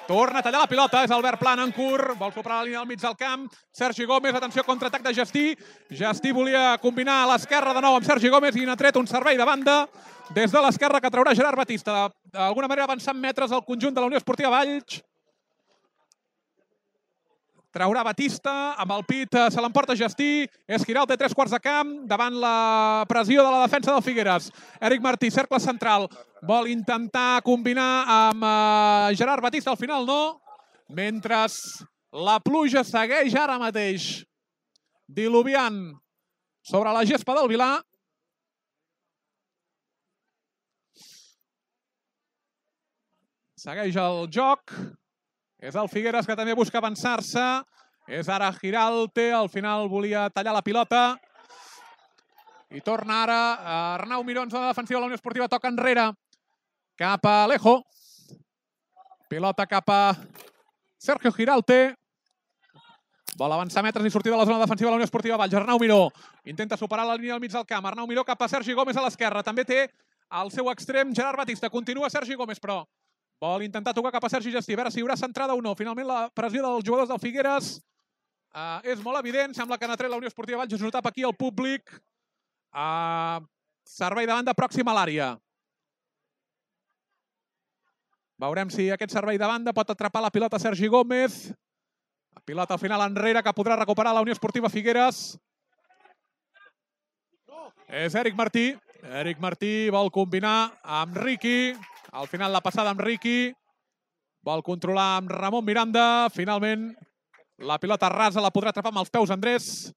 torna a tallar la pilota, és Albert Planencourt, vol superar la línia del mig del camp, Sergi Gómez, atenció, contraatac de Gestí, Gestí volia combinar a l'esquerra de nou amb Sergi Gómez i n'ha tret un servei de banda des de l'esquerra que traurà Gerard Batista, d'alguna manera avançant metres al conjunt de la Unió Esportiva Valls. Traurà Batista, amb el pit se l'emporta Gestí, Esquiral té 3 quarts de camp, davant la pressió de la defensa del Figueres. Eric Martí, cercle central, vol intentar combinar amb Gerard Batista, al final no, mentre la pluja segueix ara mateix diluviant sobre la gespa del Vilà. Segueix el joc. És el Figueres que també busca avançar-se. És ara Giralte. Al final volia tallar la pilota. I torna ara Arnau Miró en zona defensiva. La Unió Esportiva toca enrere. Cap a Alejo. Pilota cap a Sergio Giralte. Vol avançar metres i sortir de la zona defensiva de la Unió Esportiva Valls. Arnau Miró intenta superar la línia del mig del camp. Arnau Miró cap a Sergi Gómez a l'esquerra. També té al seu extrem Gerard Batista. Continua Sergi Gómez, però vol intentar tocar cap a Sergi Gestí. A veure si hi haurà centrada o no. Finalment la pressió dels jugadors del Figueres és molt evident. Sembla que n'ha tret la Unió Esportiva Valls. Es notava aquí el públic. Servei de banda pròxim a l'àrea. Veurem si aquest servei de banda pot atrapar la pilota Sergi Gómez. La pilota al final enrere que podrà recuperar la Unió Esportiva Figueres. És Eric Martí. Eric Martí vol combinar amb Riqui. Al final la passada amb Riqui. Vol controlar amb Ramon Miranda. Finalment la pilota rasa la podrà atrapar amb els peus Andrés.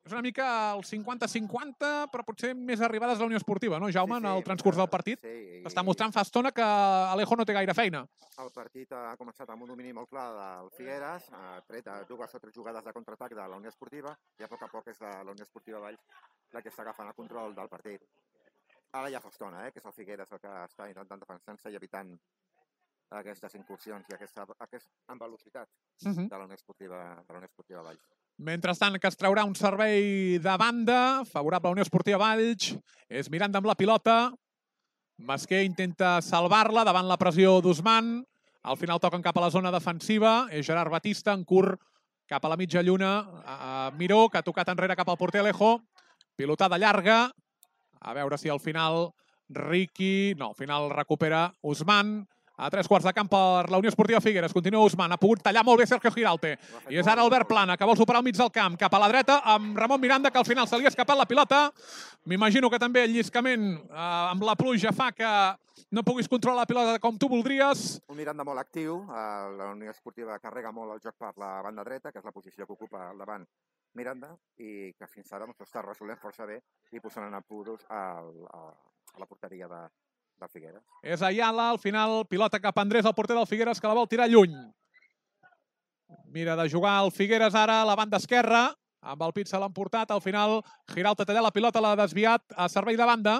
És una mica el 50-50, però potser més arribades a la Unió Esportiva, no, Jaume, en el transcurs del partit? S'està mostrant fa estona que Alejo no té gaire feina. El partit ha començat amb un domini molt clar del Figueres, ha tret 2 o 3 jugades de contraatac de la Unió Esportiva i a poc és la Unió Esportiva Valls la que està agafant el control del partit. Ara ja fa estona, que és el Figueres el que està intentant defensar-se i evitant aquestes incursions i aquest amb velocitat de la Unió Esportiva Valls. Mentrestant, que es traurà un servei de banda, favorable a la Unió Esportiva Valls. És Miranda amb la pilota. Masquer intenta salvar-la davant la pressió d'Usman. Al final toquen cap a la zona defensiva. És Gerard Batista en curt cap a la mitja lluna. Miró, que ha tocat enrere cap al porter Alejo. Pilotada llarga. A veure si al final Riqui... No, al final recupera Usman. A 3 quarts de camp per la Unió Esportiva Figueres. Continua Usman. Ha pogut tallar molt bé Sergio Giralte. I és ara Albert Plana, que vol superar al mig del camp. Cap a la dreta, amb Ramon Miranda, que al final se li ha escapat la pilota. M'imagino que també el lliscament amb la pluja fa que no puguis controlar la pilota com tu voldries. Un Miranda molt actiu. La Unió Esportiva carrega molt el joc per la banda dreta, que és la posició que ocupa al davant Miranda, i que fins ara està resolent força bé i posant en apuros a la porteria del Figueres. És Ayala, al final, pilota cap a Andrés, el porter del Figueres, que la vol tirar lluny. Mira de jugar el Figueres ara a la banda esquerra. Amb el pit se l'han portat. Al final, Giralte ha tallat la pilota, l'ha desviat a servei de banda.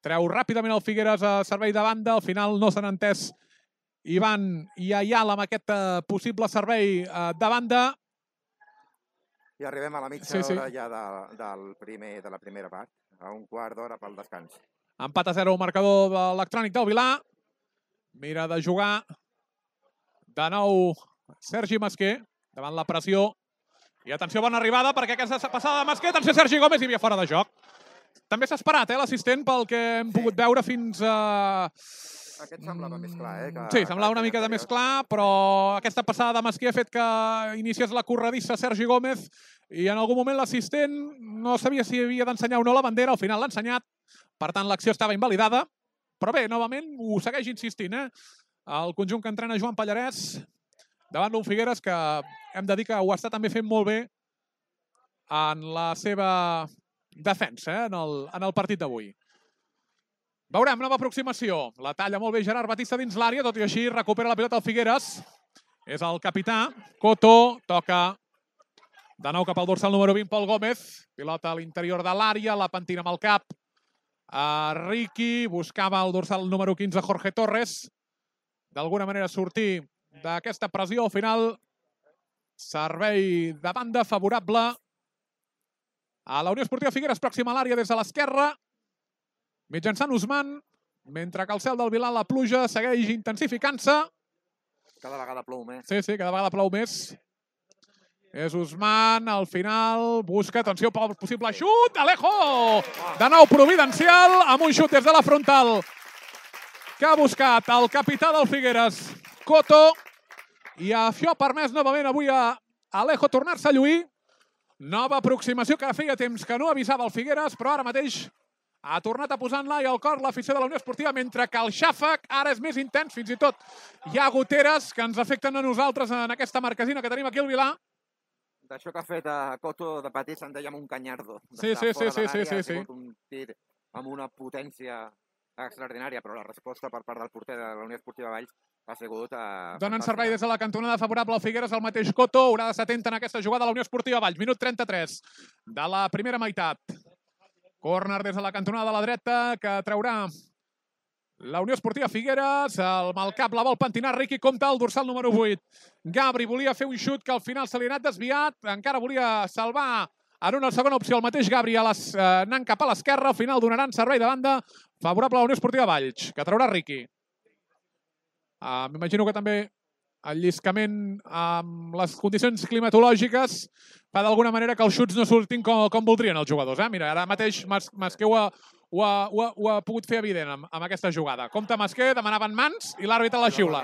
Treu ràpidament el Figueres a servei de banda. Al final no s'han entès Ivan i Ayala amb aquest possible servei de banda. I arribem a la mitja hora ja de la primera part. A un quart d'hora pel descans. Empat a 0 el marcador de l'Electrònic del Vilar. Mira de jugar de nou Sergi Masquer davant la pressió. I atenció, bona arribada, perquè aquesta passada de Masquer, atenció Sergi Gómez, hi havia fora de joc. També s'ha esperat, l'assistent, pel que hem pogut veure fins a... Aquest semblava més clar, Sí, semblava una mica de més clar, però aquesta passada de Masquer ha fet que iniciés la corredissa Sergi Gómez i en algun moment l'assistent no sabia si havia d'ensenyar o no la bandera, al final l'ha ensenyat. Per tant, l'acció estava invalidada. Però bé, novament, ho segueix insistint, el conjunt que entrena Joan Pallarès davant d'un Figueres que hem de dir que ho està també fent molt bé en la seva defensa, en el partit d'avui. Veurem, nova aproximació. La talla molt bé Gerard Batista dins l'àrea, tot i així recupera la pilota el Figueres. És el capità, Coto, toca de nou cap al dorsal número 20, Pol Gómez. Pilota a l'interior de l'àrea, la pentina amb el cap. Riqui buscava el dorsal número 15, Jorge Torres. D'alguna manera sortir d'aquesta pressió. Al final, servei de banda favorable a la Unió Esportiva Figueres, pròxima a l'àrea des de l'esquerra. Mitjançant Usman, mentre que al cel del Vilar la pluja segueix intensificant-se. Cada vegada plou més. Sí, cada vegada plou més. És Usman, al final, busca, atenció, pel possible xut, Alejo! De nou providencial, amb un xut des de la frontal que ha buscat el capità del Figueres, Coto, i això ha permès novament avui a Alejo tornar-se a lluir. Nova aproximació que feia temps que no avisava el Figueres, però ara mateix ha tornat a posar en l'ai al cor l'afició de la Unió Esportiva, mentre que el xàfec ara és més intens, fins i tot hi ha goteres que ens afecten a nosaltres en aquesta marquesina que tenim aquí al Vilar. D'això que ha fet a Coto de petit se'n deia un canyardo. Sí. Ha sigut un tir amb una potència extraordinària, però la resposta per part del porter de la Unió Esportiva Valls ha sigut... Donen servei des de la cantonada favorable al Figueres, el mateix Coto, haurà d'estar atent en aquesta jugada de la Unió Esportiva Valls. Minut 33 de la primera meitat. Córner des de la cantonada de la dreta que traurà la Unió Esportiva Figueres. Amb el cap la vol pentinar Riqui, compta el dorsal número 8. Gabri volia fer un xut que al final se li ha anat desviat, encara volia salvar en una segona opció el mateix Gabri anant cap a l'esquerra. Al final donaran servei de banda favorable a la Unió Esportiva Valls, que traurà Riqui. M'imagino que també el lliscament amb les condicions climatològiques fa d'alguna manera que els xuts no surtin com voldrien els jugadors. Mira, ara mateix Masquer ho ha pogut fer evident amb aquesta jugada. Compte Masquer, demanaven mans i l'àrbitre la xiula.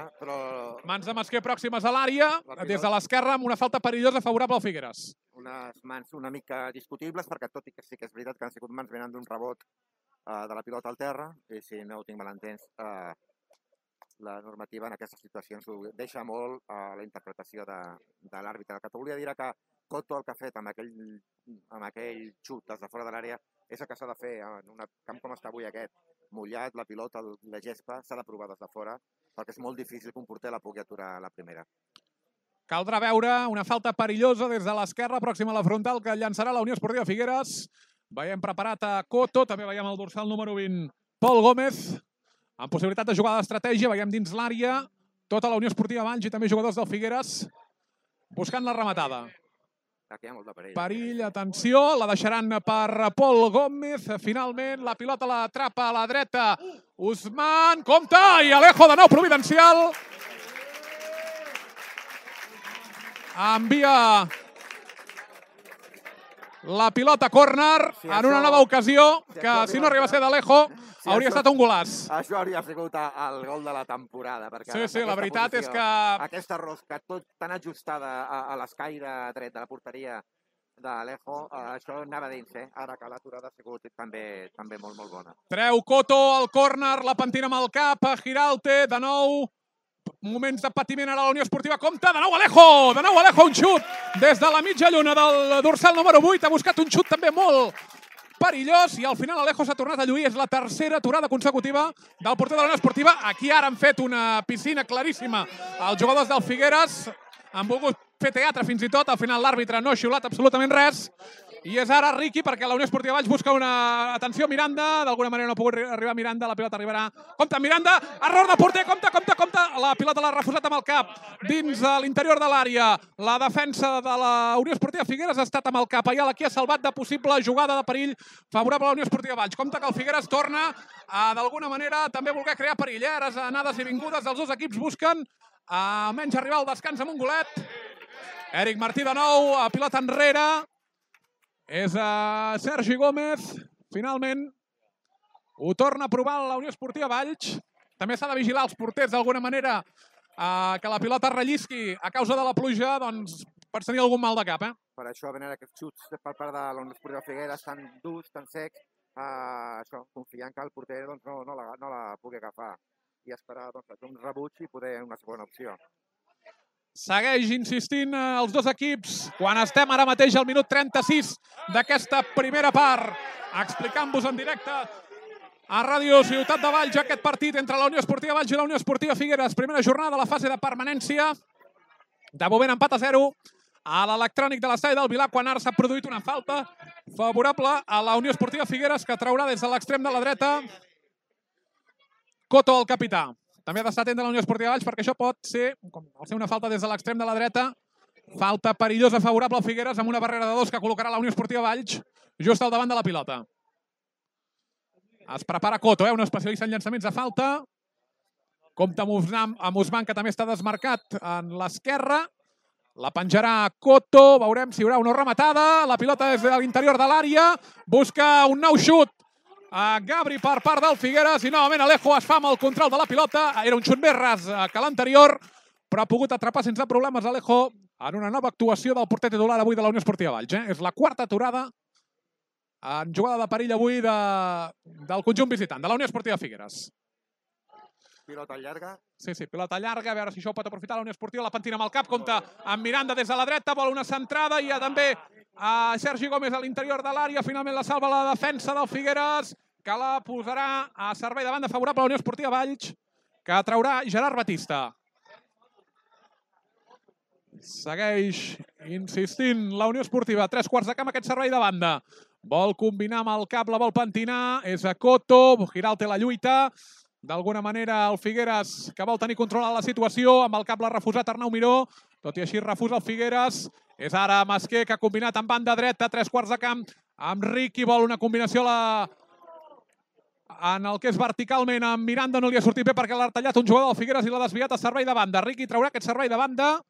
Mans de Masquer pròximes a l'àrea, des de l'esquerra, amb una falta perillosa favorable al Figueres. Unes mans una mica discutibles, perquè tot i que sí que és veritat que han sigut mans venint d'un rebot de la pilota al terra, i si no ho tinc mal entès, la normativa en aquestes situacions ho deixa molt a la interpretació de l'àrbitre. El que t'volia dir que Coto el que ha fet amb aquell xut des de fora de l'àrea és el que s'ha de fer en un camp com està avui aquest, mullat, la pilota, la gespa, s'ha de provar des de fora, perquè és molt difícil que un porter la pugui aturar a la primera. Caldrà veure una falta perillosa des de l'esquerra, pròxima a la frontal, que llançarà la Unió Esportiva Figueres. Veiem preparat a Coto, també veiem el dorsal número 20, Pol Gómez, amb possibilitat de jugada d'estratègia. Veiem dins l'àrea tota la Unió Esportiva Valls i també jugadors del Figueres buscant la rematada. Aquí hi ha molt de perill. Perill, atenció, la deixaran per Pol Gómez. Finalment, la pilota l'atrapa a la dreta Usman, compte, i Alejo de nou providencial. Envia la pilota a córner en una nova ocasió que, si no arriba a ser d'Alejo, hauria estat un golaç. Això hauria sigut el gol de la temporada. Sí, la veritat és que... Aquesta rosca tot tan ajustada a l'escaire dret de la porteria d'Alejo, això anava dins, ara que l'aturada ha sigut també molt, molt bona. Treu Coto al córner, la pentina amb el cap, Giralte, de nou... Moments de patiment ara a la Unió Esportiva. Compte, de nou Alejo, un xut des de la mitja lluna del dorsal número 8. Ha buscat un xut també molt perillós i al final Alejo s'ha tornat a lluir. És la tercera aturada consecutiva del porter de la Unió Esportiva. Aquí ara han fet una piscina claríssima els jugadors del Figueres. Han volgut fer teatre fins i tot. Al final l'àrbitre no ha xiulat absolutament res. I és ara Riqui, perquè la Unió Esportiva Valls busca una... Atenció, Miranda. D'alguna manera no ha pogut arribar Miranda. La pilota arribarà. Compte, Miranda. Error de porter. Compte. La pilota l'ha refusat amb el cap dins l'interior de l'àrea. La defensa de la Unió Esportiva Figueres ha estat amb el cap. Allà qui ha salvat de possible jugada de perill favorable a la Unió Esportiva Valls. Compte que el Figueres torna a, d'alguna manera, també voler crear perill. Ara anades i vingudes. Els dos equips busquen almenys arribar al descans amb un golet. Eric Martí de nou, a pilota enrere. És Sergi Gómez, finalment ho torna a provar la Unió Esportiva Valls. També s'ha de vigilar els porters d'alguna manera que la pilota rellisqui a causa de la pluja, doncs pots tenir algun mal de cap. Per això venen aquests xuts per part de la Unió Esportiva Figueres tan durs, tan secs, confiant que el porter no la pugui agafar i esperar un rebuig i poder una segona opció. Segueix insistint els dos equips quan estem ara mateix al minut 36 d'aquesta primera part, explicant-vos en directe a Ràdio Ciutat de Valls aquest partit entre la Unió Esportiva Valls i la Unió Esportiva Figueres. Primera jornada de la fase de permanència. De moment empat a 0 a l'electrònic de l'estadi del Vilar, quan ara s'ha produït una falta favorable a la Unió Esportiva Figueres, que traurà des de l'extrem de la dreta Coto, el capità. També ha d'estar atent de la Unió Esportiva Valls, perquè això pot ser, al ser una falta des de l'extrem de la dreta, falta perillosa favorable al Figueres amb una barrera de 2 que col·locarà la Unió Esportiva Valls just al davant de la pilota. Es prepara Coto, un especialista en llançaments de falta. Compte amb Usman, que també està desmarcat en l'esquerra. La penjarà Coto, veurem si hi haurà una rematada. La pilota és de l'interior de l'àrea, busca un nou xut a Gabri per part del Figueres i novament Alejo es fa amb el control de la pilota. Era un xut més ras que l'anterior, però ha pogut atrapar sense problemes Alejo en una nova actuació del porter titular avui de la Unió Esportiva Valls. És la quarta aturada en jugada de perill avui del conjunt visitant, de la Unió Esportiva Figueres. Pilota llarga. Sí, pilota llarga, a veure si això ho pot aprofitar la Unió Esportiva. La pentina amb el cap, compta amb Miranda des de la dreta, vol una centrada, i hi ha també Sergi Gómez a l'interior de l'àrea. Finalment la salva la defensa del Figueres. que la posarà a servei de banda favorable a la Unió Esportiva Valls, que traurà Gerard Batista. Segueix insistint la Unió Esportiva. 3/4 de camp aquest servei de banda. Vol combinar amb el cap, la vol pentinar. És a Coto. Giralt té la lluita. D'alguna manera el Figueres, que vol tenir controlada la situació. Amb el cap l'ha refusat Arnau Miró. Tot i així refusa el Figueres. És ara Masquer, que ha combinat amb banda dreta. 3/4 de camp amb Riqui. Vol una combinació en el que és verticalment. Amb Miranda no li ha sortit bé perquè l'ha tallat un jugador del Figueres i l'ha desviat a servei de banda. Riqui traurà aquest servei de banda.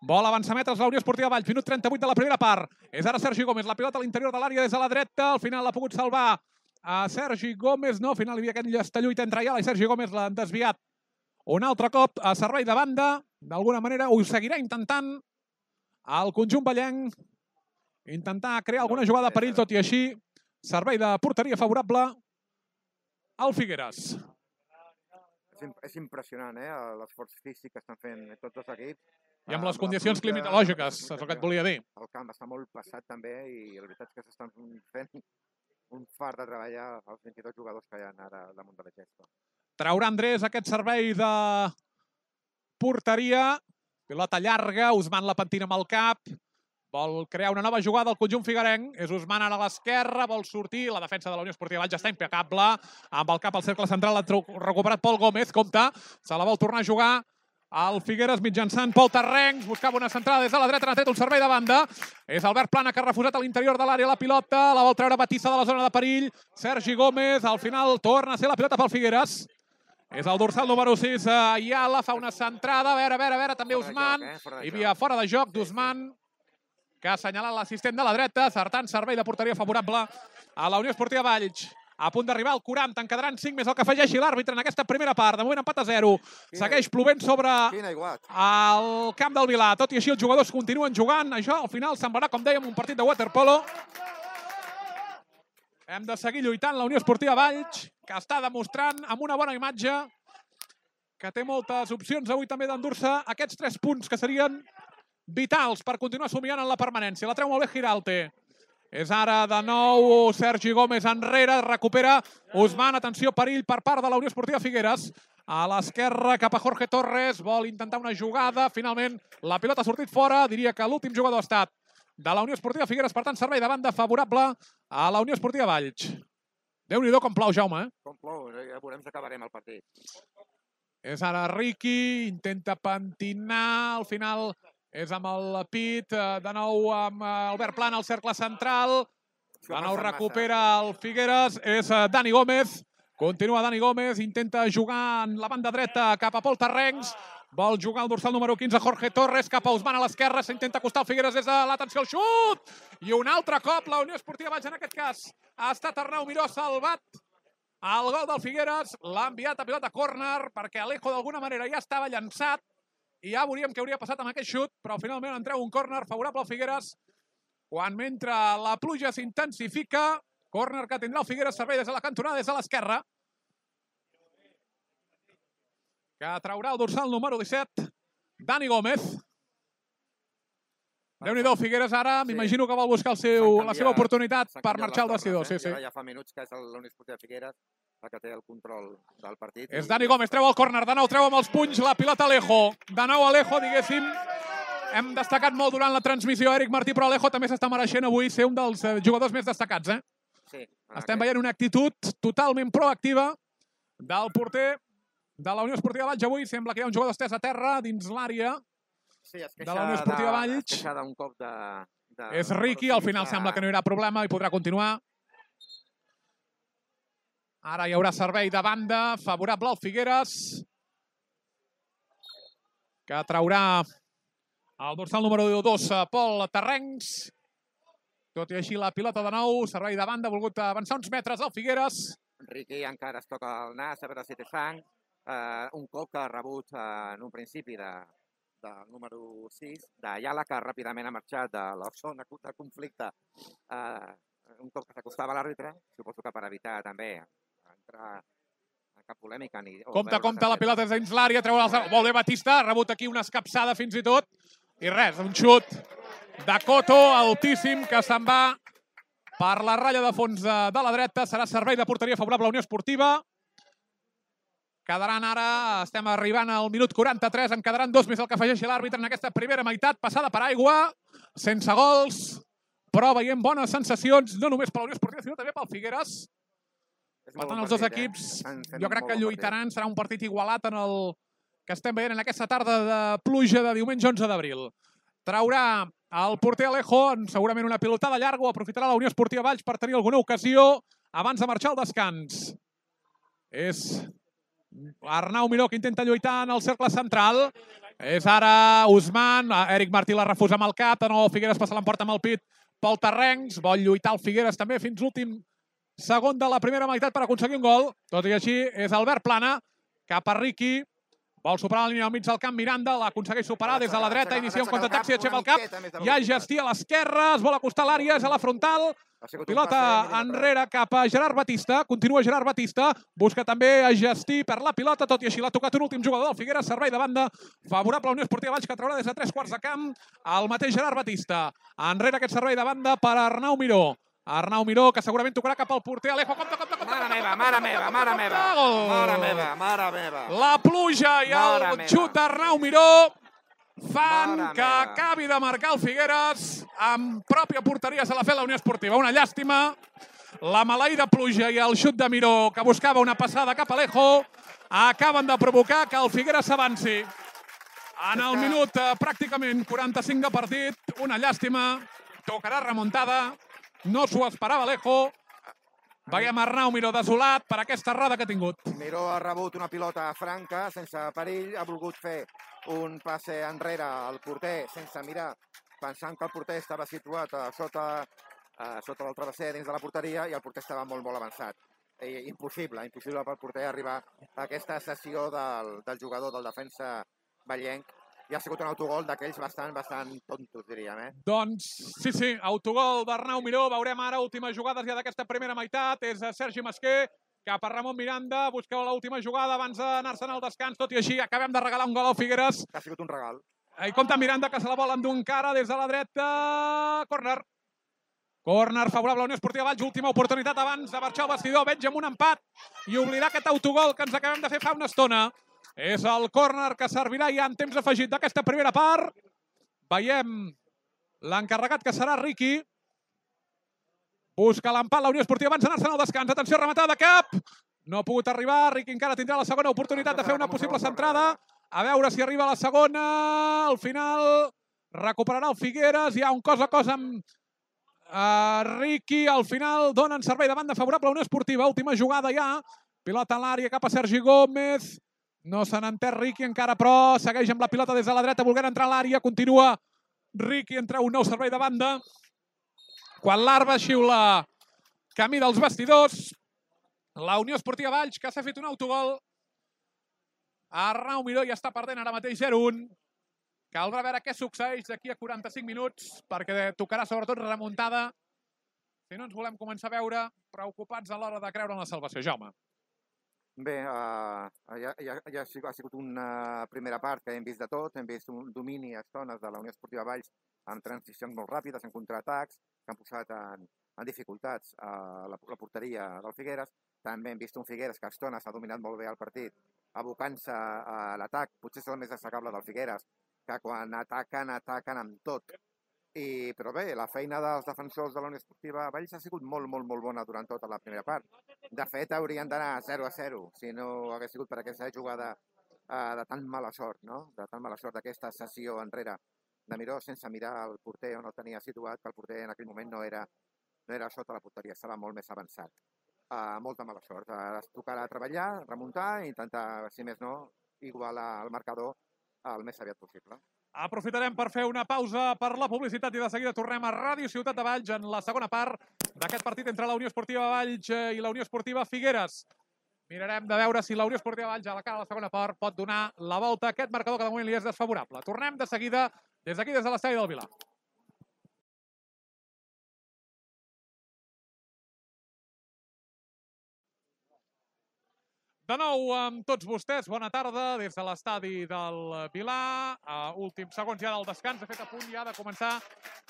Vol avançar metres la Unió Esportiva Valls. Minut 38 de la primera part. És ara Sergi Gómez. La pilota a l'interior de l'àrea des de la dreta. Al final l'ha pogut salvar a Sergi Gómez. No, al final hi havia aquesta lluita entre Ayala i Sergi Gómez. L'han desviat un altre cop a servei de banda. D'alguna manera ho seguirà intentant el conjunt vallenc. Intentar crear alguna jugada de perill, tot i així. Servei de porteria favorable al Figueres. És impressionant, l'esforç físic que estan fent tots els equips. I amb les condicions climatològiques, és el que et volia dir. El camp està molt passat també i la veritat és que s'estan fent un fart de treballar els 22 jugadors que hi ha ara damunt de la gespa. Traurà Andrés aquest servei de porteria. Pilota llarga, Usman la pentina amb el cap. Vol crear una nova jugada al conjunt figuerenc. És Usman ara a l'esquerra, vol sortir. La defensa de la Unió Esportiva Valls està impecable. Amb el cap al cercle central l'ha recuperat Pol Gómez. Compte, se la vol tornar a jugar el Figueres mitjançant Pol Terrencs. Buscava una centrada des de la dreta, n'ha tret un servei de banda. És Albert Plana, que ha refusat a l'interior de l'àrea la pilota. La vol treure Batista de la zona de perill. Sergi Gómez, al final torna a ser la pilota pel Figueres. És el dorsal número 6, Ayala, fa una centrada. A veure, també Usman. Hi havia fora de joc d'Usman, que ha assenyalat l'assistent de la dreta, acertant servei de porteria favorable a la Unió Esportiva Valls. A punt d'arribar al 40, en quedaran 5 més el que afegeixi l'àrbitre en aquesta primera part. De moment empat a 0. Segueix plovent sobre el camp del Vilà. Tot i així els jugadors continuen jugant. Això al final semblarà, com dèiem, un partit de waterpolo. Hem de seguir lluitant la Unió Esportiva Valls, que està demostrant amb una bona imatge que té moltes opcions avui també d'endur-se aquests 3 punts que serien vitals per continuar somiant en la permanència. La treu molt bé Giralte. És ara de nou Sergi Gómez enrere, recupera Usman. Atenció, perill per part de la Unió Esportiva Figueres. A l'esquerra cap a Jorge Torres, vol intentar una jugada. Finalment la pilota ha sortit fora. Diria que l'últim jugador ha estat de la Unió Esportiva Figueres, per tant servei de banda favorable a la Unió Esportiva Valls. Déu-n'hi-do com plou, Jaume. Com plou, ja veurem si acabarem el partit. És ara Riqui, intenta pentinar, al final és amb el pit, de nou amb Albert Plana al cercle central, de nou recupera el Figueres, és Dani Gómez, continua Dani Gómez, intenta jugar en la banda dreta cap a Pol Terrencs, vol jugar el dorsal número 15 Jorge Torres, cap a Usman a l'esquerra, s'intenta acostar el Figueres des de l'atenció al xut, i un altre cop la Unió Esportiva Valls, en aquest cas ha estat Arnau Miró, salvat el gol del Figueres, l'ha enviat a pilota córner, perquè Alejo d'alguna manera ja estava llançat, i ja veuríem què hauria passat amb aquest xut, però finalment en treu un córner favorable al Figueres, quan mentre la pluja s'intensifica, córner que tindrà el Figueres, servei des de la cantonada, des de l'esquerra, que traurà el dorsal número 17, Dani Gómez. Déu-n'hi-do, Figueres ara, m'imagino que vol buscar la seva oportunitat per marxar al vestidor. Ja fa minuts que és la Unió Esportiva Figueres la que té el control del partit. És Dani Gómez, treu el córner, de nou treu amb els punys la pilota Alejo. De nou Alejo, diguéssim, hem destacat molt durant la transmissió Eric Martí, però Alejo també s'està mereixent avui ser un dels jugadors més destacats. Sí. Estem veient una actitud totalment proactiva del porter de la Unió Esportiva Valls. Avui sembla que hi ha un jugador estès a terra dins l'àrea de la Unió Esportiva Valls. Es queixa d'un cop de... És Riqui, al final sembla que no hi haurà problema i podrà continuar. Ara hi haurà servei de banda favorable al Figueres, que traurà el dorsal número 2, Pol Terrencs. Tot i així la pilota de nou, servei de banda, ha volgut avançar uns metres al Figueres. Riqui encara es toca el nas, a veure si té sang. Un cop que ha rebut en un principi del número 6, d'Ayala, que ràpidament ha marxat de la zona de conflicte. Un cop que s'acostava a l'àrbitre, suposo que per evitar també entrar en cap polèmica. Compte, la pilota és dins l'àrea, treu el... Molt bé, Batista, ha rebut aquí una escapçada fins i tot. I res, un xut de Coto altíssim que se'n va per la ratlla de fons de la dreta. Serà servei de porteria favorable a la Unió Esportiva. Quedaran ara, estem arribant al minut 43, en quedaran 2 més el que afegeixi l'àrbitre en aquesta primera meitat, passada per aigua, sense gols, però veiem bones sensacions, no només per la Unió Esportiva, sinó també pel Figueres. Per tant, els dos equips, jo crec que lluitaran, serà un partit igualat en el que estem veient en aquesta tarda de pluja de diumenge 11 d'abril. Traurà el porter Alejo, segurament una pilotada llarga, o aprofitarà la Unió Esportiva Valls per tenir alguna ocasió abans de marxar al descans. És Arnau Miró que intenta lluitar en el cercle central. És ara Usman. Eric Martí la refusa amb el cap. De nou Figueres passa l'emporta amb el pit pel terrenys. Vol lluitar el Figueres també fins l'últim segon de la primera meitat per aconseguir un gol. Tot i així és Albert Plana cap a Riqui. Vol superar la línia al mig del camp. Miranda l'aconsegueix superar des de la dreta. Inicia un contraatac, s'hi aixeca el cap. Hi ha Gestí a l'esquerra. Es vol acostar a l'àrea. És a la frontal. Pilota enrere cap a Gerard Batista. Continua Gerard Batista. Busca també a Gestí per la pilota. Tot i així l'ha tocat un últim jugador del Figueres. Servei de banda favorable a la Unió Esportiva Valls, que traurà des de 3/4 de camp el mateix Gerard Batista. Enrere aquest servei de banda per Arnau Miró. Arnau Miró, que segurament tocarà cap al porter. Alejo, compte. Mare meva. Mare meva. La pluja i el xut d'Arnau Miró fan que acabi de marcar el Figueres amb pròpia porteria. Se l'ha fet la Unió Esportiva. Una llàstima. La maleïda pluja i el xut de Miró, que buscava una passada cap a Alejo, acaben de provocar que el Figueres s'avanci. En el minut pràcticament 45 de partit, una llàstima. Tocarà remuntada. No s'ho esperava Alejo. Veiem Arnau Miró desolat per aquesta errada que ha tingut. Miró ha rebut una pilota franca, sense perill. Ha volgut fer un passe enrere al porter sense mirar, pensant que el porter estava situat sota del travesser dins de la porteria i el porter estava molt avançat. Impossible pel porter arribar a aquesta sessió del jugador, del defensa vallenc. I ha sigut un autogol d'aquells bastant tontos, diríem. Doncs sí, autogol d'Arnau Miró. Veurem ara últimes jugades ja d'aquesta primera meitat. És Sergi Masquer cap a Ramon Miranda. Busqueu l'última jugada abans d'anar-se'n al descans. Tot i així, acabem de regalar un gol al Figueres. Ha sigut un regal. I compte Miranda, que se la vol endur encara des de la dreta. Córner favorable a la Unió Esportiva Valls. Última oportunitat abans de marxar al vestidor. Veig amb un empat i oblidar aquest autogol que ens acabem de fer fa una estona. És el córner que servirà ja en temps afegit d'aquesta primera part. Veiem l'encarregat, que serà Riqui. Busca l'empat la Unió Esportiva abans d'anar-se'n al descans. Atenció, rematada de cap. No ha pogut arribar. Riqui encara tindrà la segona oportunitat de fer una possible centrada. A veure si arriba la segona. Al final recuperarà el Figueres. Hi ha un cos a cos amb Riqui. Al final donen servei de banda favorable a la Unió Esportiva. Última jugada ja. Pilota a l'àrea cap a Sergi Gómez. No se n'entén Riqui encara, però segueix amb la pilota des de la dreta, volent entrar a l'àrea. Continua Riqui, entra un nou servei de banda. Quan l'Arba xiula camí dels vestidors, la Unió Esportiva Valls, que s'ha fet un autogol. Arnau Miró ja està perdent ara mateix 0-1. Caldrà veure què succeeix d'aquí a 45 minuts, perquè tocarà sobretot remuntada. Si no ens volem començar a veure preocupats a l'hora de creure en la salvació. Jaume. Bé, ja ha sigut una primera part que hem vist de tot. Hem vist un domini a estones de la Unió Esportiva Valls amb transicions molt ràpides, en contraatacs, que han posat en dificultats a la porteria del Figueres. També hem vist un Figueres que a estones ha dominat molt bé el partit, abocant-se a l'atac. Potser és el més destacable del Figueres, que quan ataquen amb tot. Però bé, la feina dels defensors de la Unió Esportiva Valls ha sigut molt bona durant tota la primera part. De fet, haurien d'anar 0-0 si no hagués sigut per aquesta jugada de tan mala sort, no? De tan mala sort d'aquesta sessió enrere de Miró sense mirar el porter on el tenia situat, que el porter en aquell moment no era sota la porteria, estava molt més avançat. Molta mala sort. Ara es tocarà treballar, remuntar i intentar, si més no, igualar el marcador el més aviat possible. Aprofitarem per fer una pausa per la publicitat i de seguida tornem a Ràdio Ciutat de Valls en la segona part d'aquest partit entre la Unió Esportiva Valls i la Unió Esportiva Figueres. Mirarem de veure si la Unió Esportiva Valls a la cara de la segona part pot donar la volta a aquest marcador que de moment li és desfavorable. Tornem de seguida des d'aquí, des de l'estadi del Vilar. De nou amb tots vostès, bona tarda des de l'estadi del Vilar. Últims segons ja del descans, de fet a punt ja de començar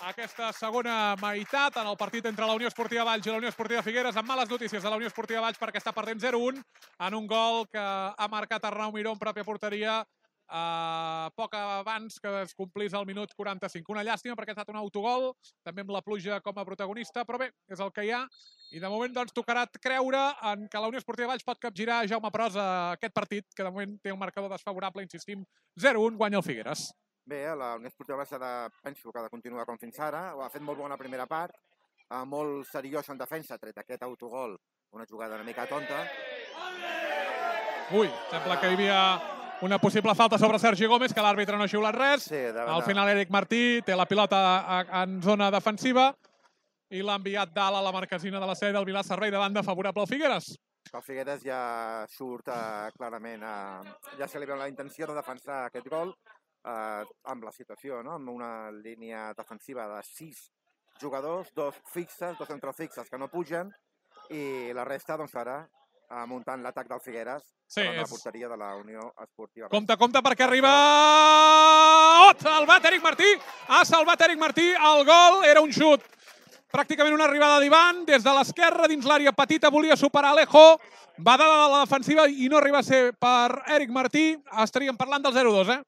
aquesta segona meitat en el partit entre la Unió Esportiva Valls i la Unió Esportiva Figueres, amb males notícies de la Unió Esportiva Valls perquè està perdent 0-1 en un gol que ha marcat Arnau Miró en pròpia porteria poc abans que es complís el minut 45. Una llàstima perquè ha estat un autogol, també amb la pluja com a protagonista, però bé, és el que hi ha. I de moment doncs tocarà creure en que la Unió Esportiva Valls pot capgirar Jaume Pros a aquest partit, que de moment té un marcador desfavorable, insistim, 0-1, guanya el Figueres. Bé, la Unió Esportiva Valls penso que ha de continuar com fins ara, ho ha fet molt bona primera part, molt seriós en defensa, tret aquest autogol, una jugada una mica tonta. Ui, sembla que hi havia una possible falta sobre Sergi Gómez, que l'àrbitre no ha xiulat res. Sí, al final Eric Martí té la pilota en zona defensiva i l'ha enviat dalt a la marquesina de la sèrie del Vilar, servei de banda favorable al Figueres. El Figueres ja surt clarament, ja se li veu la intenció de defensar aquest gol amb la situació, no? Amb una línia defensiva de 6 jugadors, 2 fixes, 2 centrofixes que no pugen, i la resta, doncs ara, muntant l'atac del Figueres davant la porteria de la Unió Esportiva. Compte, perquè arriba... Salvat Eric Martí! Ha salvat Eric Martí, el gol era un xut. Pràcticament una arribada d'Ivan, des de l'esquerra, dins l'àrea petita, volia superar Alejo, va de la defensiva i no arriba a ser per Eric Martí. Estaríem parlant del 0-2,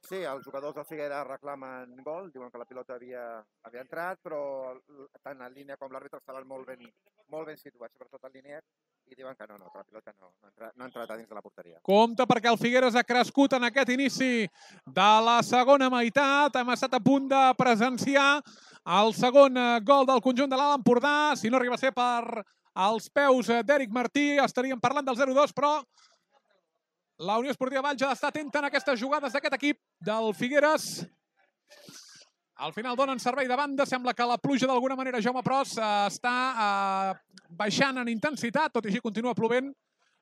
Sí, els jugadors del Figueres reclamen gol, diuen que la pilota havia entrat, però tant en línia com l'àrbitre estaven molt ben situats, sobretot en línia, i diuen que no, que la pilota no ha entrat a dins de la porteria. Compte perquè el Figueres ha crescut en aquest inici de la segona meitat. Hem estat a punt de presenciar el segon gol del conjunt de l'Alt Empordà. Si no arriba a ser per als peus d'Eric Martí, estaríem parlant del 0-2, però la Unió Esportiva Valls ha d'estar atenta en aquestes jugades d'aquest equip del Figueres. Al final donen servei de banda. Sembla que la pluja d'alguna manera, Jaume Pros, està baixant en intensitat, tot i així continua plovent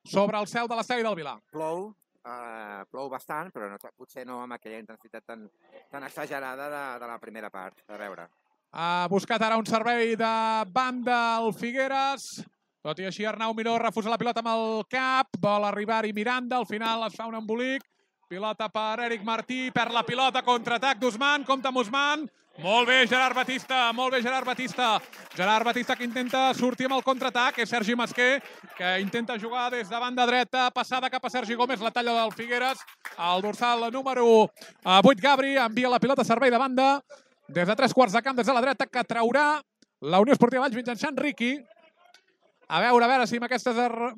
sobre el cel de l'estadi del Vilar. Plou bastant, però potser no amb aquella intensitat tan exagerada de la primera part. A veure. Ha buscat ara un servei de banda al Figueres. Tot i així, Arnau Miró refusa la pilota amb el cap, vol arribar-hi Miranda, al final es fa un embolic. Pilota per Eric Martí, perd la pilota, contraatac d'Usman, compta amb Usman. Molt bé, Gerard Batista, molt bé, Gerard Batista. Gerard Batista que intenta sortir amb el contraatac, és Sergi Masquer, que intenta jugar des de banda dreta, passada cap a Sergi Gómez, la talla del Figueres. El dorsal número 8, Gabri, envia la pilota a servei de banda, des de 3 quarts de camp, des de la dreta, que traurà la Unió Esportiva Valls mitjançant Riqui. A veure si amb aquests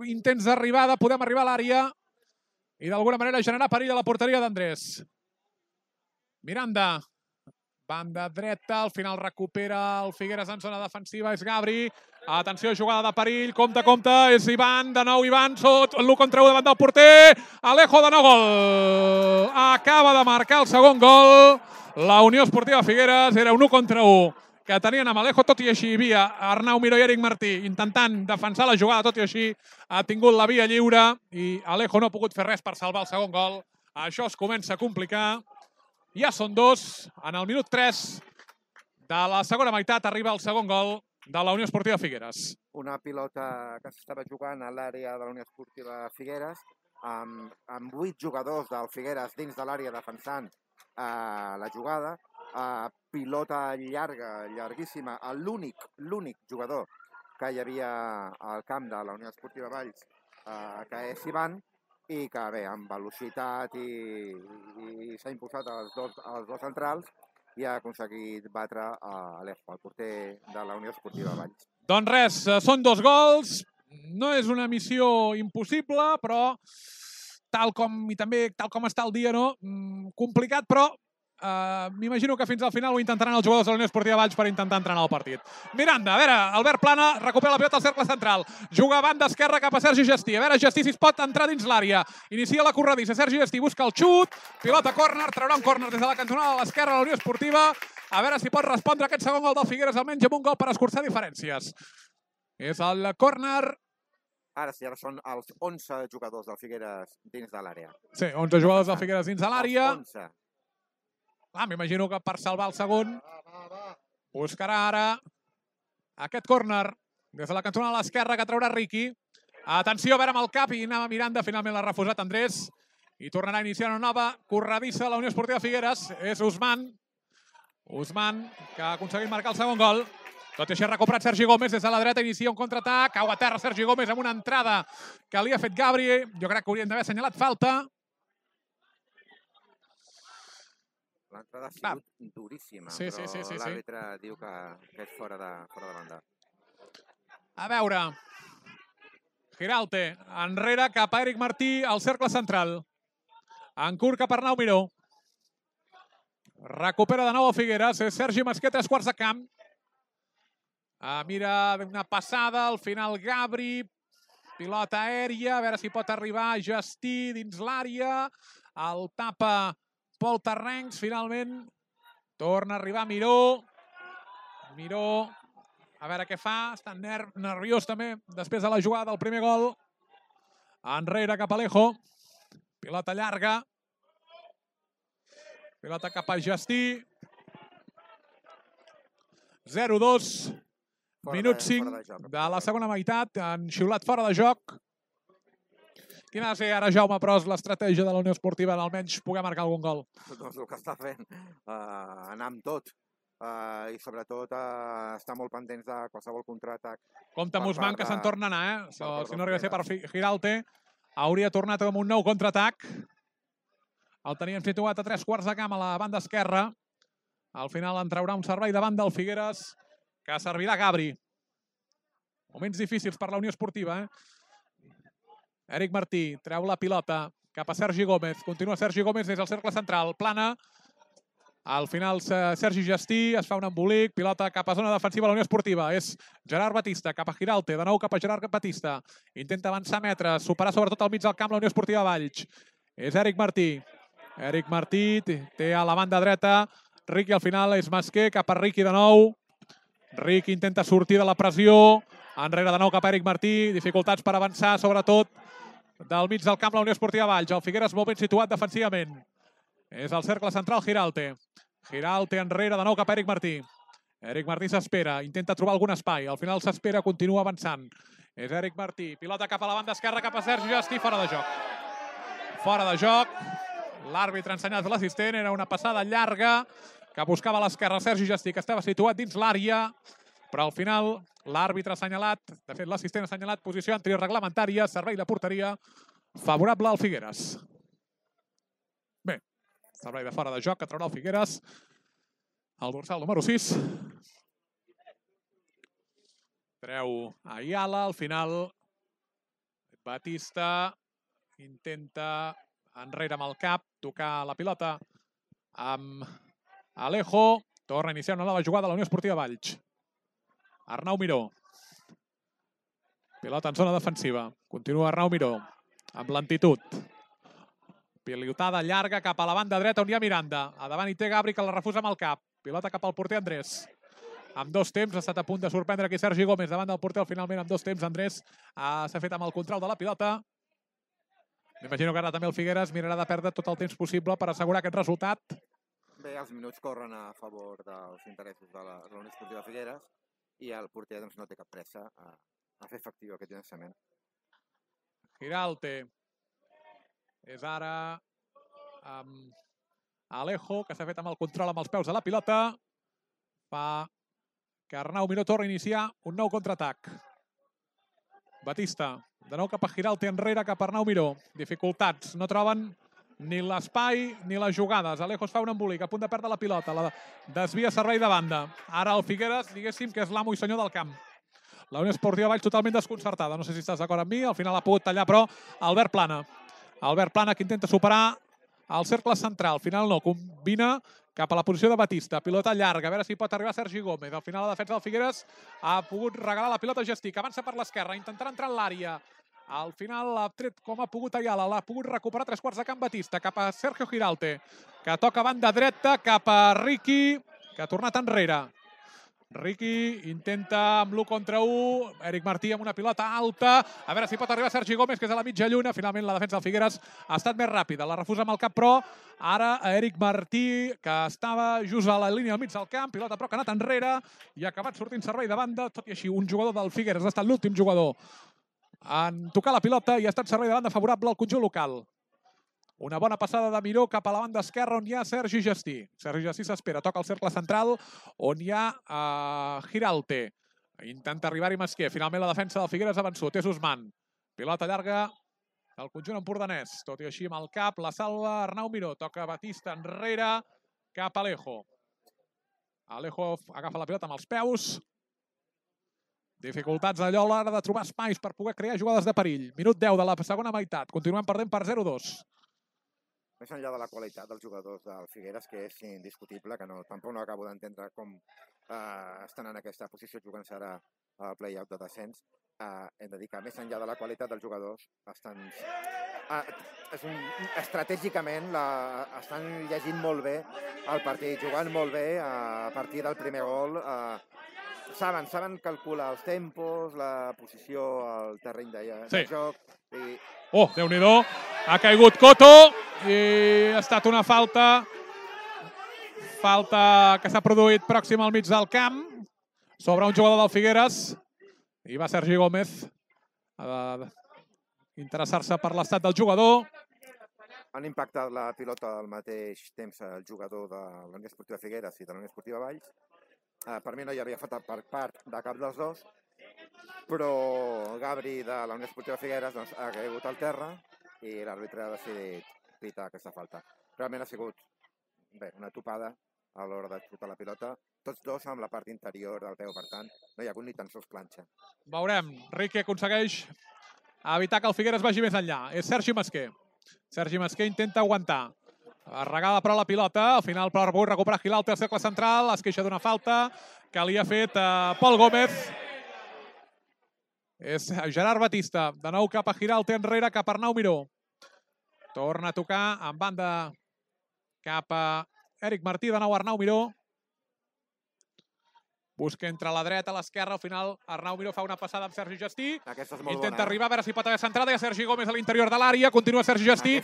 intents d'arribada podem arribar a l'àrea i d'alguna manera generar perill a la porteria d'Andrés. Miranda, banda dreta, al final recupera el Figueres en zona defensiva, és Gabri. Atenció, jugada de perill, compte, és Ivan, de nou Ivan, l'1 contra 1 davant del porter, Alejo de nou gol. Acaba de marcar el segon gol, la Unió Esportiva Figueres, era un 1 contra 1 que tenien amb Alejo, tot i així hi havia Arnau Miró i Eric Martí intentant defensar la jugada, tot i així ha tingut la via lliure i Alejo no ha pogut fer res per salvar el segon gol. Això es comença a complicar. Ja són 2. En el minut 3 de la segona meitat arriba el segon gol de la Unió Esportiva Figueres. Una pilota que s'estava jugant a l'àrea de la Unió Esportiva Figueres amb 8 jugadors del Figueres dins de l'àrea defensant la jugada. Pilota llarga, llarguíssima, a l'únic jugador que hi havia al camp de la Unió Esportiva Valls, que és Ivan, i que bé, amb velocitat i s'ha impulsat als dos centrals i ha aconseguit batre Alejo, el porter de la Unió Esportiva Valls. Doncs res, són 2 gols, no és una missió impossible, però tal com està el dia, no? Complicat, però m'imagino que fins al final ho intentaran els jugadors de la Unió Esportiva Valls per intentar entrenar el partit. Miranda, a veure, Albert Plana recupera la pilota al cercle central, juga a banda esquerra cap a Sergi Gestí, a veure Gestí si es pot entrar dins l'àrea, inicia la corredissa, Sergi Gestí busca el xut, pilota córner, traurà un córner des de la cantonada de l'esquerra de la Unió Esportiva, a veure si pot respondre aquest segon gol del Figueres, almenys amb un gol per escurçar diferències. És el córner. Ara sí, ara són els 11 jugadors del Figueres dins de l'àrea. Sí, 11 jugadors del Figueres dins de l'àrea. Els 11. M'imagino que per salvar el segon buscarà ara aquest córner des de la cantonada a l'esquerra que traurà Riqui. Atenció, a veure amb el cap i anava Miranda, finalment l'ha refusat Andrés. I tornarà a iniciar una nova corredissa a la Unió Esportiva Figueres. És Usman. Usman, que ha aconseguit marcar el segon gol. Tot i així ha recuperat Sergi Gómez des de la dreta, inicia un contraatac, cau a terra Sergi Gómez amb una entrada que li ha fet Gabri. Jo crec que haurien d'haver assenyalat falta. L'entrada ha sigut duríssima, però l'àrbitre diu que és fora de banda. A veure, Giralte, enrere cap a Eric Martí, al cercle central. En curt cap a Arnau Miró. Recupera de nou el Figueres, és Sergi Masqué, 3 quarts de camp. Mira una passada, al final Gabri, pilota aèria, a veure si pot arribar Gestí dins l'àrea, el tapa Pol Terrencs, finalment torna a arribar Miró, a veure què fa, està nerviós també després de la jugada del primer gol, enrere cap a Alejo, pilota llarga, pilota cap a Gestí, 0-2, minut 5 de la segona meitat, han xiulat fora de joc. Quina ha de ser ara, Jaume Pros, l'estratègia de la Unió Esportiva en almenys poder marcar algun gol? Doncs el que està fent, anar amb tot. I sobretot estar molt pendents de qualsevol contraatac. Compte amb Usman, que se'n torna a anar, si no arriba a ser per Giralte, hauria tornat amb un nou contraatac. El tenien situat a 3 quarts de camp a la banda esquerra. Al final en traurà un servei davant del Figueres, que servirà Gabri. Moments difícils per la Unió Esportiva. Eric Martí treu la pilota cap a Sergi Gómez. Continua Sergi Gómez des del cercle central. Plana. Al final Sergi Gestí es fa un embolic. Pilota cap a zona defensiva de la Unió Esportiva. És Gerard Batista cap a Giralte. De nou cap a Gerard Batista. Intenta avançar metres. Superar sobretot al mig del camp la Unió Esportiva Valls. És Eric Martí. Eric Martí té a la banda dreta. Riqui al final és Masqué cap a Riqui de nou. Riqui intenta sortir de la pressió, enrere de nou cap a Eric Martí, dificultats per avançar, sobretot del mig del camp la Unió Esportiva Valls. El Figueres molt ben situat defensivament. És el cercle central Giralte. Giralte enrere de nou cap a Eric Martí. Eric Martí s'espera, intenta trobar algun espai. Al final s'espera, continua avançant. És Eric Martí, pilota cap a la banda esquerra, cap a Sergi Gestí, fora de joc. Fora de joc. L'àrbitre ha ensenyat l'assistent, era una passada llarga que buscava a l'esquerra Sergi Gestí, que estava situat dins l'àrea, però al final l'àrbitre ha assenyalat, de fet l'assistent ha assenyalat posició antireglamentària, servei de porteria favorable al Figueres. Bé, servei de fora de joc que traurà el Figueres, el dorsal número 6. Treu Ayala, al final Batista intenta enrere amb el cap, tocar la pilota amb Alejo, torna a iniciar una nova jugada a la Unió Esportiva Valls. Arnau Miró. Pilota en zona defensiva. Continua Arnau Miró, amb lentitud. Pilotada llarga cap a la banda dreta on hi ha Miranda. A davant hi té Gabri, que la refusa amb el cap. Pilota cap al porter Andrés. Amb 2 temps, ha estat a punt de sorprendre aquí Sergi Gómez davant del porter. Finalment, amb 2 temps, Andrés s'ha fet amb el control de la pilota. M'imagino que ara també el Figueres mirarà de perdre tot el temps possible per assegurar aquest resultat. Bé, els minuts corren a favor dels interessos de la Unió Esportiva Figueres i el porter no té cap pressa a fer efectiu aquest llançament. Giralte. És ara Alejo, que s'ha fet amb el control amb els peus de la pilota. Fa que Arnau Miró torna a iniciar un nou contraatac. Batista, de nou cap a Giralte, enrere cap a Arnau Miró. Dificultats, no troben ni l'espai ni les jugades. Alejo es fa un embolic, a punt de perdre la pilota. La desvia servei de banda. Ara el Figueres, diguéssim que és l'amo i senyor del camp. La Unió Esportiva Valls totalment desconcertada. No sé si estàs d'acord amb mi, al final ha pogut tallar, però Albert Plana. Albert Plana que intenta superar el cercle central. Al final no, combina cap a la posició de Batista. Pilota llarga, a veure si pot arribar Sergi Gómez. Al final la defensa del Figueres ha pogut regalar la pilota a Gestí, que avança per l'esquerra, intentarà entrar en l'àrea. Al final l'ha tret com ha pogut Ayala, l'ha pogut recuperar 3 quarts de camp Batista, cap a Sergio Giralte, que toca banda dreta, cap a Riqui, que ha tornat enrere. Riqui intenta amb l'1 contra 1, Eric Martí amb una pilota alta, a veure si pot arribar Sergi Gómez, que és a la mitja lluna. Finalment la defensa del Figueres ha estat més ràpida, la refusa amb el cap, però ara Eric Martí, que estava just a la línia al mig del camp, pilota però que ha anat enrere i ha acabat sortint servei de banda. Tot i així, un jugador del Figueres ha estat l'últim jugador en tocar la pilota i ha estat servei de banda favorable al conjunt local. Una bona passada de Miró cap a la banda esquerra on hi ha Sergi Gestí. Sergi Gestí s'espera, toca el cercle central on hi ha Giralte. Intenta arribar-hi Masquer. Finalment la defensa del Figueres ha vençut. És Usman. Pilota llarga del conjunt empordanès. Tot i així amb el cap la salva Arnau Miró. Toca Batista enrere cap a Alejo. Alejo agafa la pilota amb els peus. Dificultats allò a l'hora de trobar espais per poder crear jugades de perill. Minut 10 de la segona meitat. Continuem perdent per 0-2. Més enllà de la qualitat dels jugadors del Figueres, que és indiscutible, que tampoc no acabo d'entendre com estan en aquesta posició jugant-se ara al play-out de descens, hem de dir que més enllà de la qualitat dels jugadors, estratègicament estan llegint molt bé el partit, jugant molt bé a partir del primer gol. Saben calcular els tempos, la posició al terreny de joc. Oh, Déu-n'hi-do, ha caigut Coto i ha estat una falta que s'ha produït pròxim al mig del camp sobre un jugador del Figueres i va Sergi Gómez a interessar-se per l'estat del jugador. Han impactat la pilota al mateix temps el jugador de la Unió Esportiva Figueres i de la Unió Esportiva Valls. Per mi no hi havia falta per part de cap dels dos, però Gabri de la Unió Esportiva Figueres ha caigut al terra i l'àrbitre ha decidit pitar aquesta falta. Realment ha sigut una topada a l'hora de xutar la pilota, tots dos amb la part interior del peu, per tant, no hi ha hagut ni tan sols planxa. Veurem, Riqui aconsegueix evitar que el Figueres vagi més enllà. És Sergi Masquer. Sergi Masquer intenta aguantar. Regada però la pilota, al final però vol recuperar Giralte al cercle central, es queixa d'una falta que li ha fet Pol Gómez. És Gerard Batista, de nou cap a Giralte enrere, cap a Arnau Miró. Torna a tocar en banda cap a Eric Martí, de nou Arnau Miró. Busca entre la dreta, a l'esquerra, al final Arnau Miró fa una passada amb Sergi Gestí. Intenta arribar, a veure si pot haver centrada. Hi ha Sergi Gómez a l'interior de l'àrea, continua Sergi Gestí,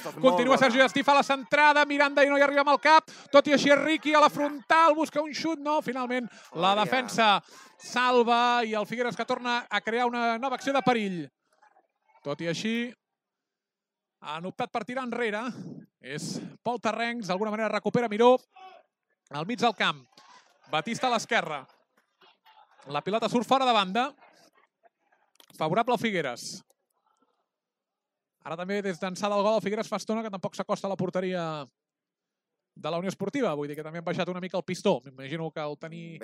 fa la centrada, Miranda i no hi arriba amb el cap. Tot i així Riqui a la frontal, busca un xut, no, finalment la defensa salva i el Figueres que torna a crear una nova acció de perill. Tot i així han optat per tirar enrere. És Pol Terrencs, d'alguna manera recupera Miró al mig del camp. Batista a l'esquerra. La pilota surt fora de banda. Favorable al Figueres. Ara també des d'ençà del gol el Figueres fa estona que tampoc s'acosta a la porteria de la Unió Esportiva. Vull dir que també han baixat una mica el pistó. M'imagino que al tenir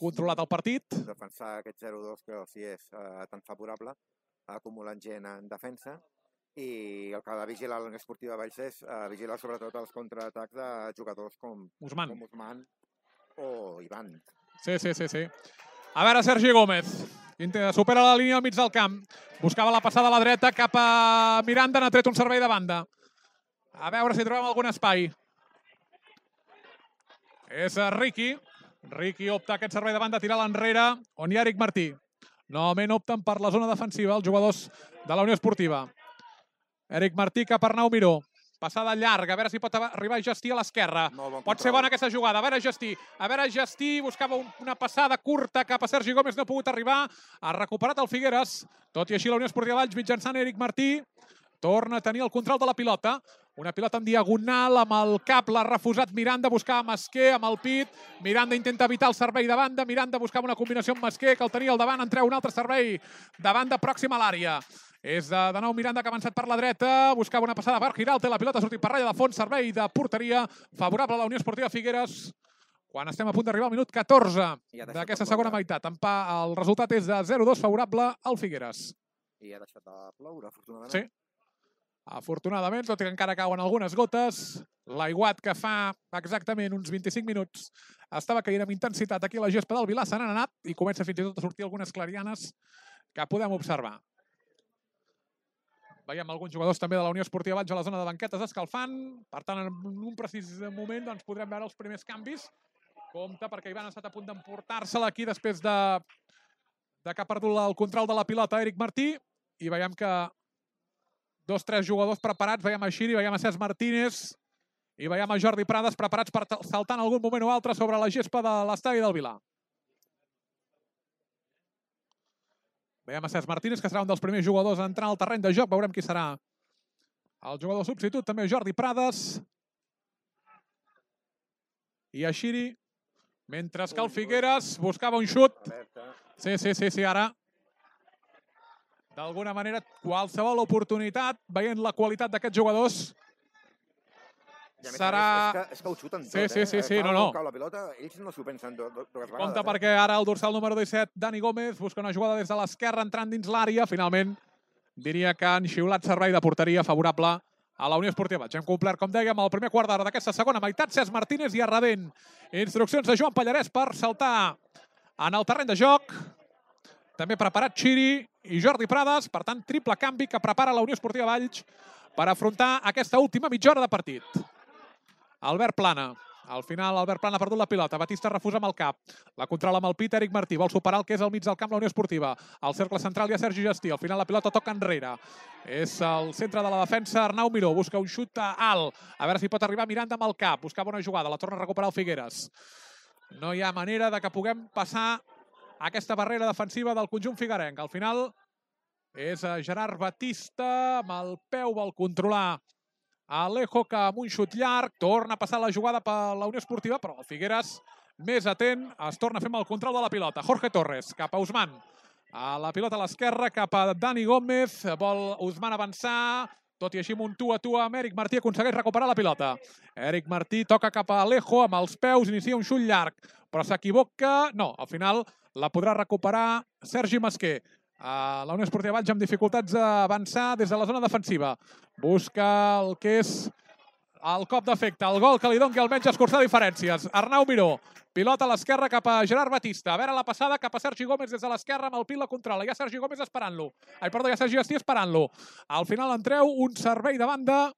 controlat el partit. Defensar aquest 0-2 que els és tan favorable, acumulant gent en defensa. I el que ha de vigilar la Unió Esportiva Valls és vigilar sobretot els contraatacs de jugadors com Usman o Ivan. Sí. A veure, Sergi Gómez. Supera la línia al mig del camp. Buscava la passada a la dreta cap a Miranda. N'ha tret un servei de banda. A veure si trobem algun espai. És Riqui. Riqui opta aquest servei de banda a tirar l'enrere, on hi ha Eric Martí. Novament opten per la zona defensiva els jugadors de la Unió Esportiva. Eric Martí cap a Arnau Miró. Passada llarga, a veure si pot arribar Gestí a l'esquerra. Pot ser bona aquesta jugada. A veure Gestí, buscava una passada curta cap a Sergi Gómez, no ha pogut arribar. Ha recuperat el Figueres. Tot i així la Unió Esportiva Valls mitjançant Eric Martí torna a tenir el control de la pilota. Una pilota en diagonal, amb el cap l'ha refusat Miranda, buscava Masquer amb el pit. Miranda intenta evitar el servei de banda. Miranda buscava una combinació amb Masquer, que el tenia al davant, en treu un altre servei de banda pròxim a l'àrea. És de nou Miranda que ha avançat per la dreta, buscava una passada per Giralte, la pilota ha sortit per ratlla de fons, servei de porteria favorable a la Unió Esportiva Figueres, quan estem a punt d'arribar al minut 14 d'aquesta segona meitat. El resultat és de 0-2 favorable al Figueres. I ha deixat de ploure, afortunadament. Sí, afortunadament, tot i que encara cauen algunes gotes. L'aiguat que fa exactament uns 25 minuts estava caient amb intensitat aquí a la gespa del Vilà, se n'han anat i comença fins i tot a sortir algunes clarianes que podem observar. Veiem alguns jugadors també de la Unió Esportiva Valls a la zona de banquetes escalfant. Per tant, en un precís moment podrem veure els primers canvis. Compte, perquè Ivan ha estat a punt d'emportar-se-la aquí després de que ha perdut el control de la pilota Eric Martí. I veiem que 2-3 jugadors preparats. Veiem a Xiri, veiem a Cesc Martínez i veiem a Jordi Prades preparats per saltar en algun moment o altre sobre la gespa de l'estadi del Vilà. Veiem a Cesc Martínez, que serà un dels primers jugadors a entrar al terreny de joc. Veurem qui serà el jugador substitut. També Jordi Prades. I Ashiri. Mentre que el Figueres buscava un xut. Sí, ara. D'alguna manera, qualsevol oportunitat, veient la qualitat d'aquests jugadors, serà... És que ho xuten tot, Sí, no. Cau la pilota, ells no s'ho pensen dues vegades. Compte perquè ara el dorsal número 17, Dani Gómez, busca una jugada des de l'esquerra entrant dins l'àrea. Finalment, diria que han xiulat servei de porteria favorable a la Unió Esportiva. Ja hem complert, com dèiem, el primer quart d'hora d'aquesta segona meitat. Cesc Martínez i a rebent instruccions de Joan Pallarès per saltar en el terreny de joc. També preparat Xiri i Jordi Prades. Per tant, triple canvi que prepara la Unió Esportiva Valls per afrontar aquesta última mitja hora de partit. Albert Plana. Al final, Albert Plana ha perdut la pilota. Batista refusa amb el cap. La controla amb el pit Eric Martí. Vol superar el que és al mig del camp la Unió Esportiva. Al cercle central hi ha Sergi Gestí. Al final la pilota toca enrere. És el centre de la defensa Arnau Miró. Busca un xut alt. A veure si pot arribar Miranda amb el cap. Buscava una jugada. La torna a recuperar el Figueres. No hi ha manera de que puguem passar aquesta barrera defensiva del conjunt figuerenc. Al final és Gerard Batista. Amb el peu vol controlar Alejo, que amb un xut llarg torna a passar la jugada per la Unió Esportiva, però el Figueres, més atent, es torna a fer amb el control de la pilota. Jorge Torres, cap a Usman. A la pilota a l'esquerra, cap a Dani Gómez. Vol Usman avançar, tot i així amb un tu a tu amb Eric Martí aconsegueix recuperar la pilota. Eric Martí toca cap a Alejo amb els peus, inicia un xut llarg, però s'equivoca. No, al final la podrà recuperar Sergi Masquer. La Unió Esportiva Valls amb dificultats d'avançar des de la zona defensiva. Busca el que és el cop d'efecte, el gol que li doni almenys escurçar diferències. Arnau Miró, pilota a l'esquerra cap a Gerard Batista. A veure la passada cap a Sergi Gómez des de l'esquerra amb el pit la controla. Hi ha Sergi Gómez esperant-lo. Hi ha Sergi Gestí esperant-lo. Al final en treu un servei de banda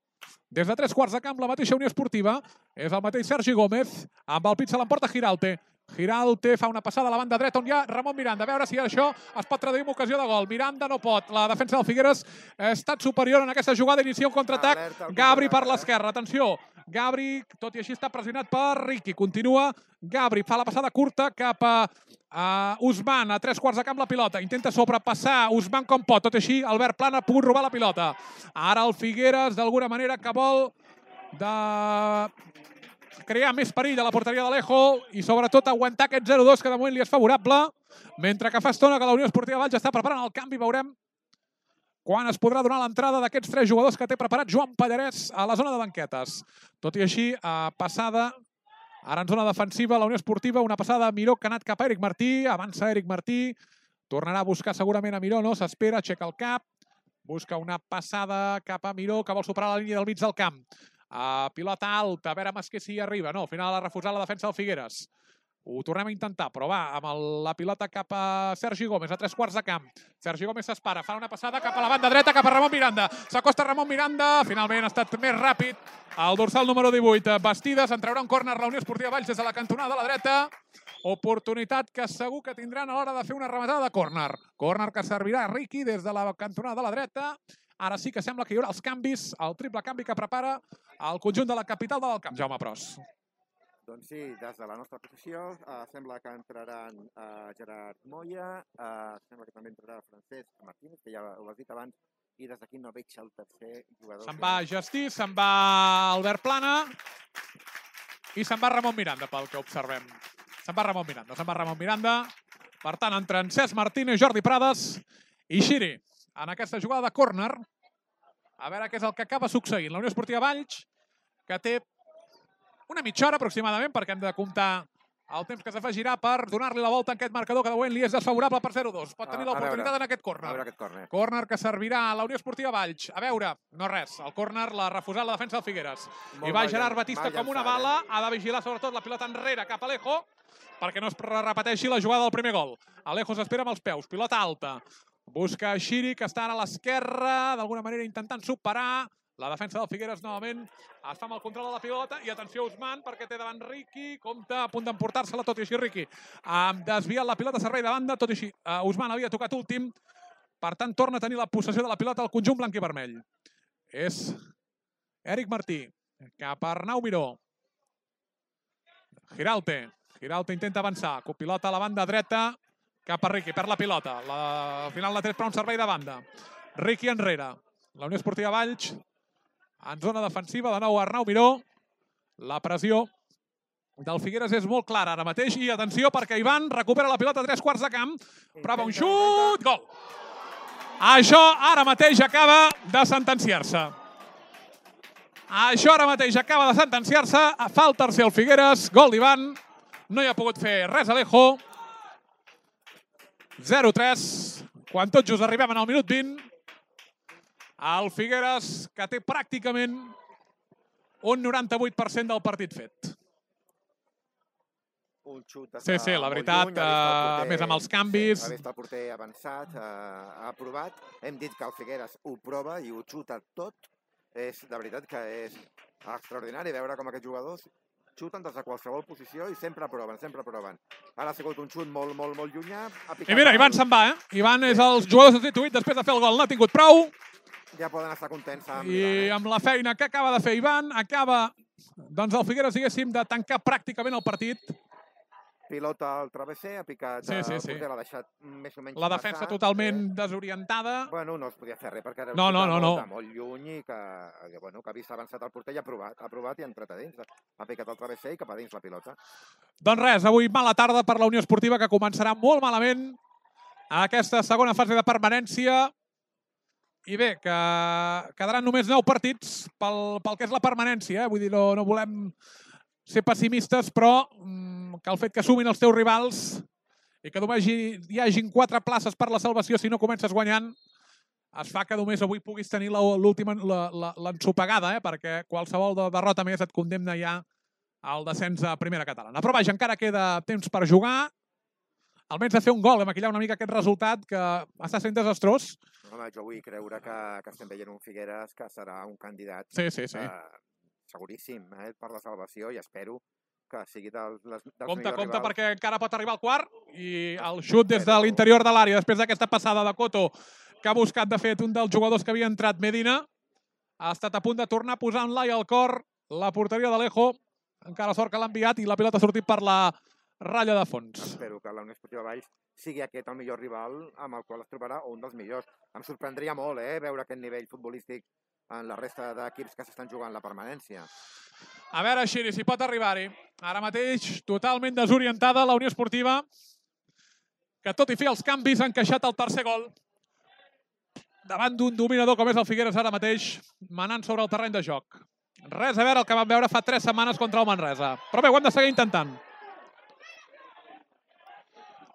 des de 3/4 de camp la mateixa Unió Esportiva. És el mateix Sergi Gómez. Amb el pit se l'emporta Giralte. Giralte fa una passada a la banda dreta on hi ha Ramon Miranda. A veure si això es pot traduir en ocasió de gol. Miranda no pot. La defensa del Figueres ha estat superior en aquesta jugada. Inicia un contraatac. Gabri per l'esquerra. Atenció. Gabri, tot i així, està pressionat per Riqui. Continua. Gabri fa la passada curta cap a Usman. A 3/4 de camp la pilota. Intenta sobrepassar Usman com pot. Tot i així, Albert Plana ha pogut robar la pilota. Ara el Figueres, d'alguna manera, que vol crear més perill a la porteria d'Alejo i sobretot aguantar aquest 0-2 que de moment li és favorable, mentre que fa estona que la Unió Esportiva Valls està preparant el canvi. Veurem quan es podrà donar l'entrada d'aquests 3 jugadors que té preparat Joan Pallarès a la zona de banquetes. Tot i així, passada, ara en zona defensiva, la Unió Esportiva, una passada a Miró que ha anat cap a Eric Martí, avança Eric Martí, tornarà a buscar segurament a Miró, no? S'espera, aixeca el cap, busca una passada cap a Miró que vol superar la línia del mig del camp. Pilota alta, a veure Masquer si hi arriba. No, al final ha refusat la defensa del Figueres. Ho tornem a intentar, però va, amb la pilota cap a Sergi Gómez, a 3/4 de camp. Sergi Gómez s'espera, fa una passada cap a la banda dreta, cap a Ramon Miranda. S'acosta Ramon Miranda, finalment ha estat més ràpid. El dorsal número 18, Bastides, en traurà un córner la Unió Esportiva Valls des de la cantonada a la dreta. Oportunitat que segur que tindran a l'hora de fer una rematada de córner. Córner que servirà a Riqui des de la cantonada a la dreta. Ara sí que sembla que hi haurà els canvis, el triple canvi que prepara el conjunt de la capital del camp. Jaume Pros. Doncs sí, des de la nostra posició sembla que entraran Gerard Moya, sembla que també entrarà Francesc Martínez, que ja ho has dit abans, i des d'aquí no veig el tercer jugador. Se'n va Gestí, se'n va Albert Plana i se'n va Ramon Miranda, pel que observem. Se'n va Ramon Miranda. Per tant, entren Cesc Martínez, Jordi Prades i Xiri en aquesta jugada de córner. A veure què és el que acaba succeint. La Unió Esportiva Valls, que té una mitja hora aproximadament, perquè hem de comptar el temps que s'afegirà per donar-li la volta a aquest marcador que de moment li és desfavorable per 0-2. Pot tenir l'oportunitat en aquest córner. A veure aquest córner. Córner que servirà a la Unió Esportiva Valls. A veure, no res. El córner l'ha refusat la defensa del Figueres. I va Gerard Batista com una bala. Ha de vigilar sobretot la pilota enrere cap a Alejo perquè no es repeteixi la jugada del primer gol. Alejo s'espera amb els peus. Pilota alta. Busca Xiri, que està ara a l'esquerra, d'alguna manera intentant superar. La defensa del Figueres novament es fa amb el control de la pilota. I atenció Usman, perquè té davant Riqui. Compte, a punt d'emportar-se-la, tot i així Riqui ha desviat la pilota a servei de banda. Tot i així, Usman havia tocat últim. Per tant, torna a tenir la possessió de la pilota al conjunt blanc i vermell. És Eric Martí, cap a Arnau Miró. Giralte intenta avançar. Pilota a la banda dreta, Cap a Riqui, perd la pilota. Al final la tret per un servei de banda. Riqui enrere. La Unió Esportiva Valls en zona defensiva. De nou Arnau Miró. La pressió del Figueres és molt clara ara mateix. I atenció perquè Ivan recupera la pilota a 3 quarts de camp. Prova un xut. Gol. Això ara mateix acaba de sentenciar-se. Això ara mateix acaba de sentenciar-se. Fa el tercer el Figueres. Gol d'Ivan. No hi ha pogut fer res Alejo. 0-3. Quan tot just arribem en el minut 20. El Figueres, que té pràcticament un 98% del partit fet. Un xut Sí, la veritat, més amb els canvis. Ha vist el porter avançat, ha provat. Hem dit que el Figueres ho prova i ho xuta tot. És, de veritat, que és extraordinari veure com aquests jugadors xuten des de qualsevol posició i sempre proven, sempre proven. Ara ha sigut un xut molt, molt, molt llunyà. I mira, Ivan se'n va, Ivan és el jugador substituït després de fer el gol. N'ha tingut prou. Ja poden estar contents amb I amb la feina que acaba de fer Ivan, acaba, doncs, el Figueres, diguéssim, de tancar pràcticament el partit. Pilota al travesser, ha picat el porter, l'ha deixat més o menys la defensa totalment desorientada. Bueno, no es podia fer res perquè era molt lluny i que ha vist avançat el porter i ha provat i ha entrat a dins. Ha picat el travesser i cap a dins la pilota. Doncs res, avui mala tarda per la Unió Esportiva, que començarà molt malament aquesta segona fase de permanència. I bé, que quedaran només 9 partits pel que és la permanència. Vull dir, no volem ser pessimistes, però que el fet que sumin els teus rivals i que només hi hagin 4 places per la salvació si no comences guanyant, es fa que només avui puguis tenir l'ensopegada, perquè qualsevol derrota més et condemna ja al descens a primera catalana. Però vaja, encara queda temps per jugar. Almenys de fer un gol, maquillar una mica aquest resultat que està sent desastrós. Home, jo vull creure que estem veient un Figueres que serà un candidat seguríssim per la salvació i espero que sigui dels millors rivals. Compte, perquè encara pot arribar al quart i el xut des de l'interior de l'àrea, després d'aquesta passada de Coto, que ha buscat, de fet, un dels jugadors que havia entrat, Medina, ha estat a punt de tornar posant-la i al cor la porteria d'Alejo. Encara sort que l'ha enviat i la pilota ha sortit per la ratlla de fons. Espero que la Unió Esportiva Valls sigui aquest el millor rival amb el qual es trobarà, o un dels millors. Em sorprendria molt veure aquest nivell futbolístic en la resta d'equips que s'estan jugant la permanència. A veure, Xiri, si pot arribar-hi. Ara mateix, totalment desorientada la Unió Esportiva, que tot i fer els canvis ha encaixat el tercer gol davant d'un dominador com és el Figueres ara mateix, manant sobre el terreny de joc. Res a veure el que vam veure fa 3 setmanes contra el Manresa. Però bé, ho hem de seguir intentant.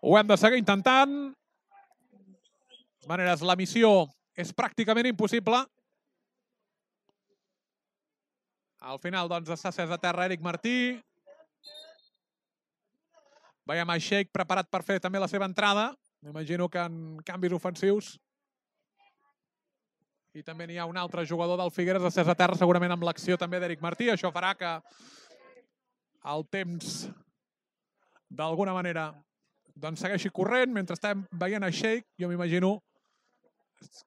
Ho hem de seguir intentant. De totes maneres, la missió és pràcticament impossible. Al final, doncs, està cés a terra Eric Martí. Veiem a Sheik preparat per fer també la seva entrada. M'imagino que en canvis ofensius. I també n'hi ha un altre jugador del Figueres cés a terra, segurament amb l'acció també d'Eric Martí. Això farà que el temps, d'alguna manera, doncs segueixi corrent mentre estem veient a Sheik. Jo m'imagino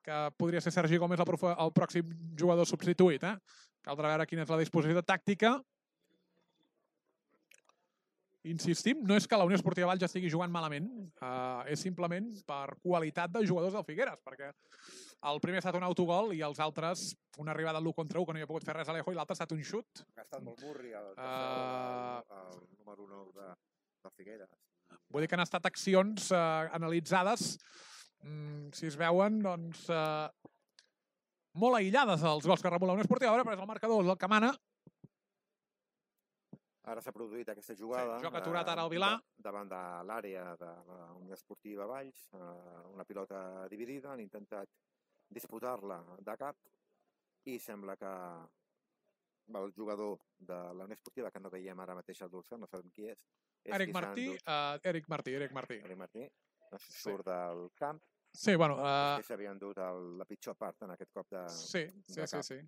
que podria ser Sergi Gómez el pròxim jugador substituït. Caldrà veure quina és la disposició tàctica. Insistim, no és que la Unió Esportiva Valls ja estigui jugant malament, és simplement per qualitat de jugadors del Figueres, perquè el primer ha estat un autogol i els altres una arribada l'1 contra 1 que no hi ha pogut fer res a Alejo i l'altre ha estat un xut. Ha estat molt burri el número 9 del Figueres. Vull dir que han estat accions analitzades, si es veuen, doncs, molt aïllades els gols que remula la Unió Esportiva, però és el marcador el que mana. Ara s'ha produït aquesta jugada. Joc aturat ara al Vilà. Davant de l'àrea de la Unió Esportiva Valls. Una pilota dividida, han intentat disputar-la de cap i sembla que el jugador de la Unió Esportiva, que no veiem ara mateix al dorsal, no sabem qui és. Eric Martí. Surt del camp. Sí, bueno... S'havia endut la pitjor part en aquest cop de cap. Sí.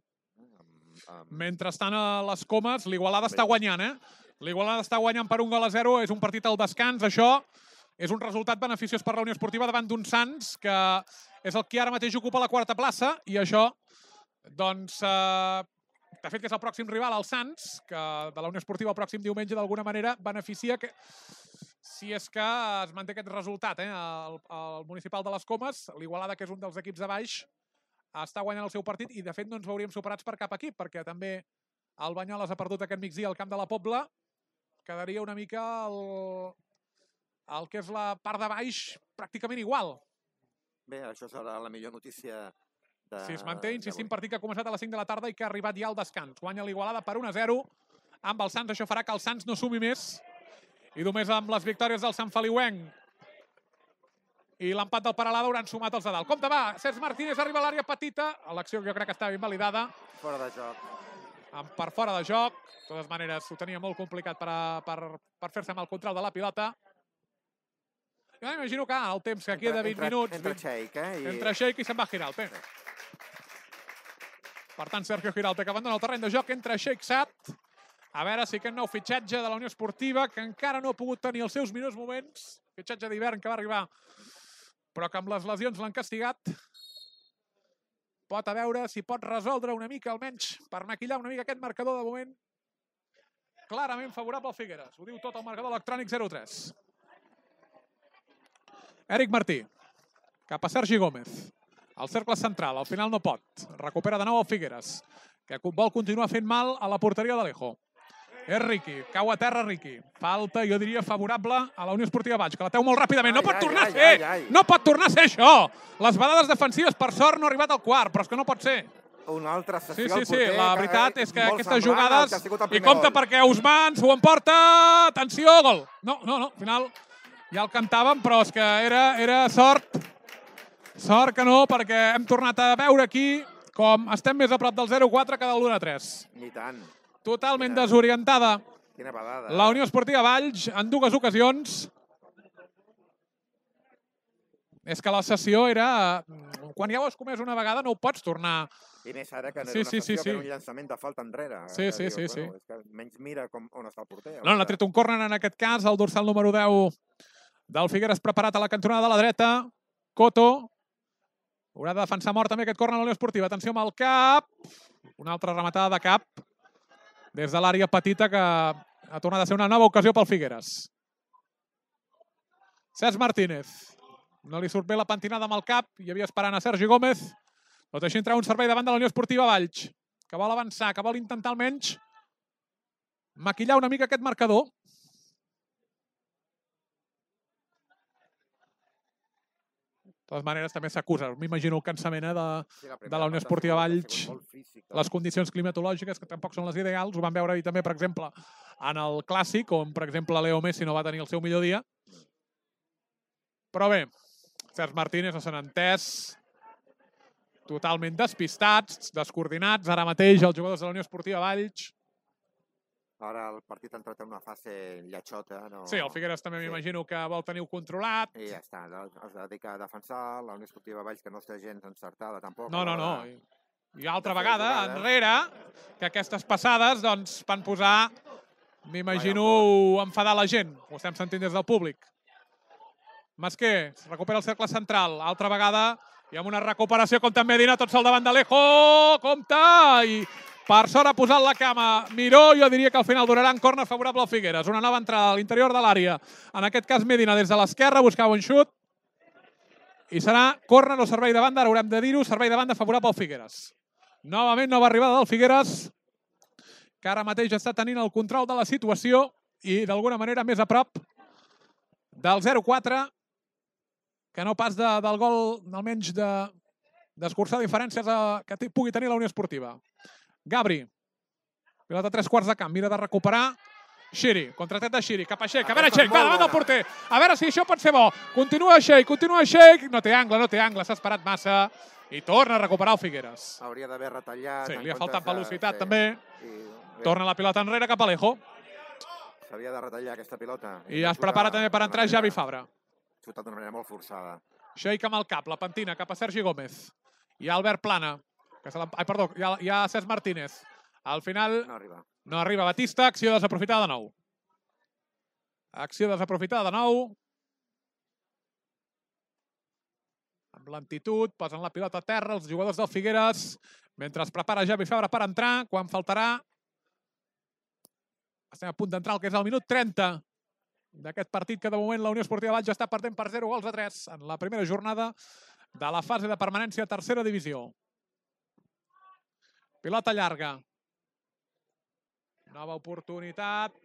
Mentrestant a les Comes, l'Igualada està guanyant, L'Igualada està guanyant per 1-0, és un partit al descans. Això és un resultat beneficiós per la Unió Esportiva davant d'un Sants, que és el que ara mateix ocupa la 4ª plaça, i això, doncs, de fet que és el pròxim rival, el Sants, que de la Unió Esportiva el pròxim diumenge d'alguna manera beneficia que si és que es manté aquest resultat. El Municipal de les Comes, l'Igualada, que és un dels equips de baix, està guanyant el seu partit i, de fet, no ens veuríem superats per cap equip, perquè també el Banyoles ha perdut aquest migdia al camp de la Pobla. Quedaria una mica el que és la part de baix pràcticament igual. Bé, això serà la millor notícia. Si es manté, insistim, partit que ha començat a les 5 de la tarda i que ha arribat ja al descans. Guanya l'Igualada per 1-0 amb el Sants. Això farà que el Sants no sumi més. I només amb les victòries del Sant Feliuenc i l'empat del Peralada hauran sumat els de dalt. Compte, va, Cesc Martínez arriba a l'àrea petita. L'acció jo crec que estava invalidada. Fora de joc. Per fora de joc. De totes maneres, ho tenia molt complicat per fer-se amb el control de la pilota. Jo m'imagino que el temps que queda 20 minuts... Entra Sheik, Entra Sheik i se'n va Giralt. Per tant, Sergio Giralt que abandona el terreny de joc. Entra Sheik Sat. A veure si aquest nou fitxatge de la Unió Esportiva, que encara no ha pogut tenir els seus millors moments, fitxatge d'hivern que va arribar, però que amb les lesions l'han castigat, pot a veure si pot resoldre una mica, almenys, per maquillar una mica aquest marcador de moment clarament favorable al Figueres. Ho diu tot el marcador electrònic 0-3. Eric Martí, cap a Sergi Gómez. Al cercle central, al final no pot. Recupera de nou el Figueres, que vol continuar fent mal a la porteria d'Alejo. És Riqui, cau a terra Riqui. Falta, jo diria, favorable a la Unió Esportiva Baix, que la treu molt ràpidament. No pot tornar a ser! No pot tornar a ser això! Les badades defensives, per sort, no ha arribat al quart, però és que no pot ser. Una altra sessió al porter. Sí, la veritat és que aquestes jugades... I gol. compte perquè Ousmane s'ho emporta! Atenció, gol! No, al final ja el cantàvem, però és que era sort. Sort que no, perquè hem tornat a veure aquí com estem més a prop del 0-4 que del 1-3. Ni tant. Totalment desorientada. Quina badada. La Unió Esportiva Valls en dues ocasions. És que la sessió era... Quan ja ho has comès una vegada no ho pots tornar. I més ara que no era una sessió, que era un llançament de falta enrere. Sí. És que menys mira on està el porter. No, l'ha tret un córner en aquest cas, el dorsal número 10 del Figueres preparat a la cantonada de la dreta. Coto. Haurà de defensar mort també aquest córner a la Unió Esportiva. Atenció amb el cap. Una altra rematada de cap. Des de l'àrea petita, que ha tornat a ser una nova ocasió pel Figueres. Cesc Martínez. No li surt bé la pentinada amb el cap. Hi havia esperant a Sergi Gómez. No deixa entrar un servei davant de la Unió Esportiva Valls, que vol avançar, que vol intentar almenys maquillar una mica aquest marcador. De totes maneres, també s'acusa. M'imagino el cansament de la Unió Esportiva Valls. Les condicions climatològiques, que tampoc són les ideals. Ho vam veure ahir també, per exemple, en el Clàssic, on, per exemple, Leo Messi no va tenir el seu millor dia. Però bé, Cesc Martínez no se n'ha entès. Totalment despistats, descoordinats. Ara mateix els jugadors de la Unió Esportiva Valls. Ara el partit ha entrat en una fase lletxota. Sí, el Figueres també m'imagino que vol tenir-ho controlat. I ja està, es dedica a defensar. La Unió Esportiva Valls, que no està gens encertada tampoc. No. I altra vegada, enrere, que aquestes passades doncs, van posar, m'imagino, enfadar la gent. Ho estem sentint des del públic. Masquer, recupera el cercle central. Altra vegada, i amb una recuperació, compte amb Medina, tot sol davant d'Alejo. Compte! I per sort ha posat la cama Miró. Jo diria que al final durarà en córner favorable al Figueres. Una nova entrada a l'interior de l'àrea. En aquest cas, Medina des de l'esquerra buscava un xut. I serà córner o servei de banda. Ara haurem de dir-ho. Servei de banda favorable al Figueres. Novament, nova arribada del Figueres, que ara mateix està tenint el control de la situació i d'alguna manera més a prop del 0-4, que no pas del gol, almenys d'escurçar diferències que pugui tenir la Unió Esportiva. Gabri, pilota a 3/4 de camp, mira de recuperar. Xiri, contratet de Xiri, cap a Sheik. A veure, Sheik, va davant del porter. A veure si això pot ser bo. Continua Sheik. No té angle, s'ha esperat massa. I torna a recuperar el Figueres. Hauria d'haver retallat. Sí, li ha faltat velocitat també. Torna la pilota enrere cap a Alejo. S'havia de retallar aquesta pilota. I es prepara també per entrar Javi Fabra. Xutat d'una manera molt forçada. Sheik amb el cap, la pentina cap a Sergi Gómez. Hi ha Albert Plana. Perdó, hi ha Cesc Martínez. Al final no arriba Batista. Acció desaprofitada de nou. Acció desaprofitada de nou. Amb lentitud, posen la pilota a terra els jugadors del Figueres, mentre es prepara Javi Fabra per entrar, quan faltarà... Estem a punt d'entrar el que és el minut 30 d'aquest partit que de moment la Unió Esportiva Valls està perdent per 0-3 en la primera jornada de la fase de permanència a tercera divisió. Pilota llarga. Nova oportunitat.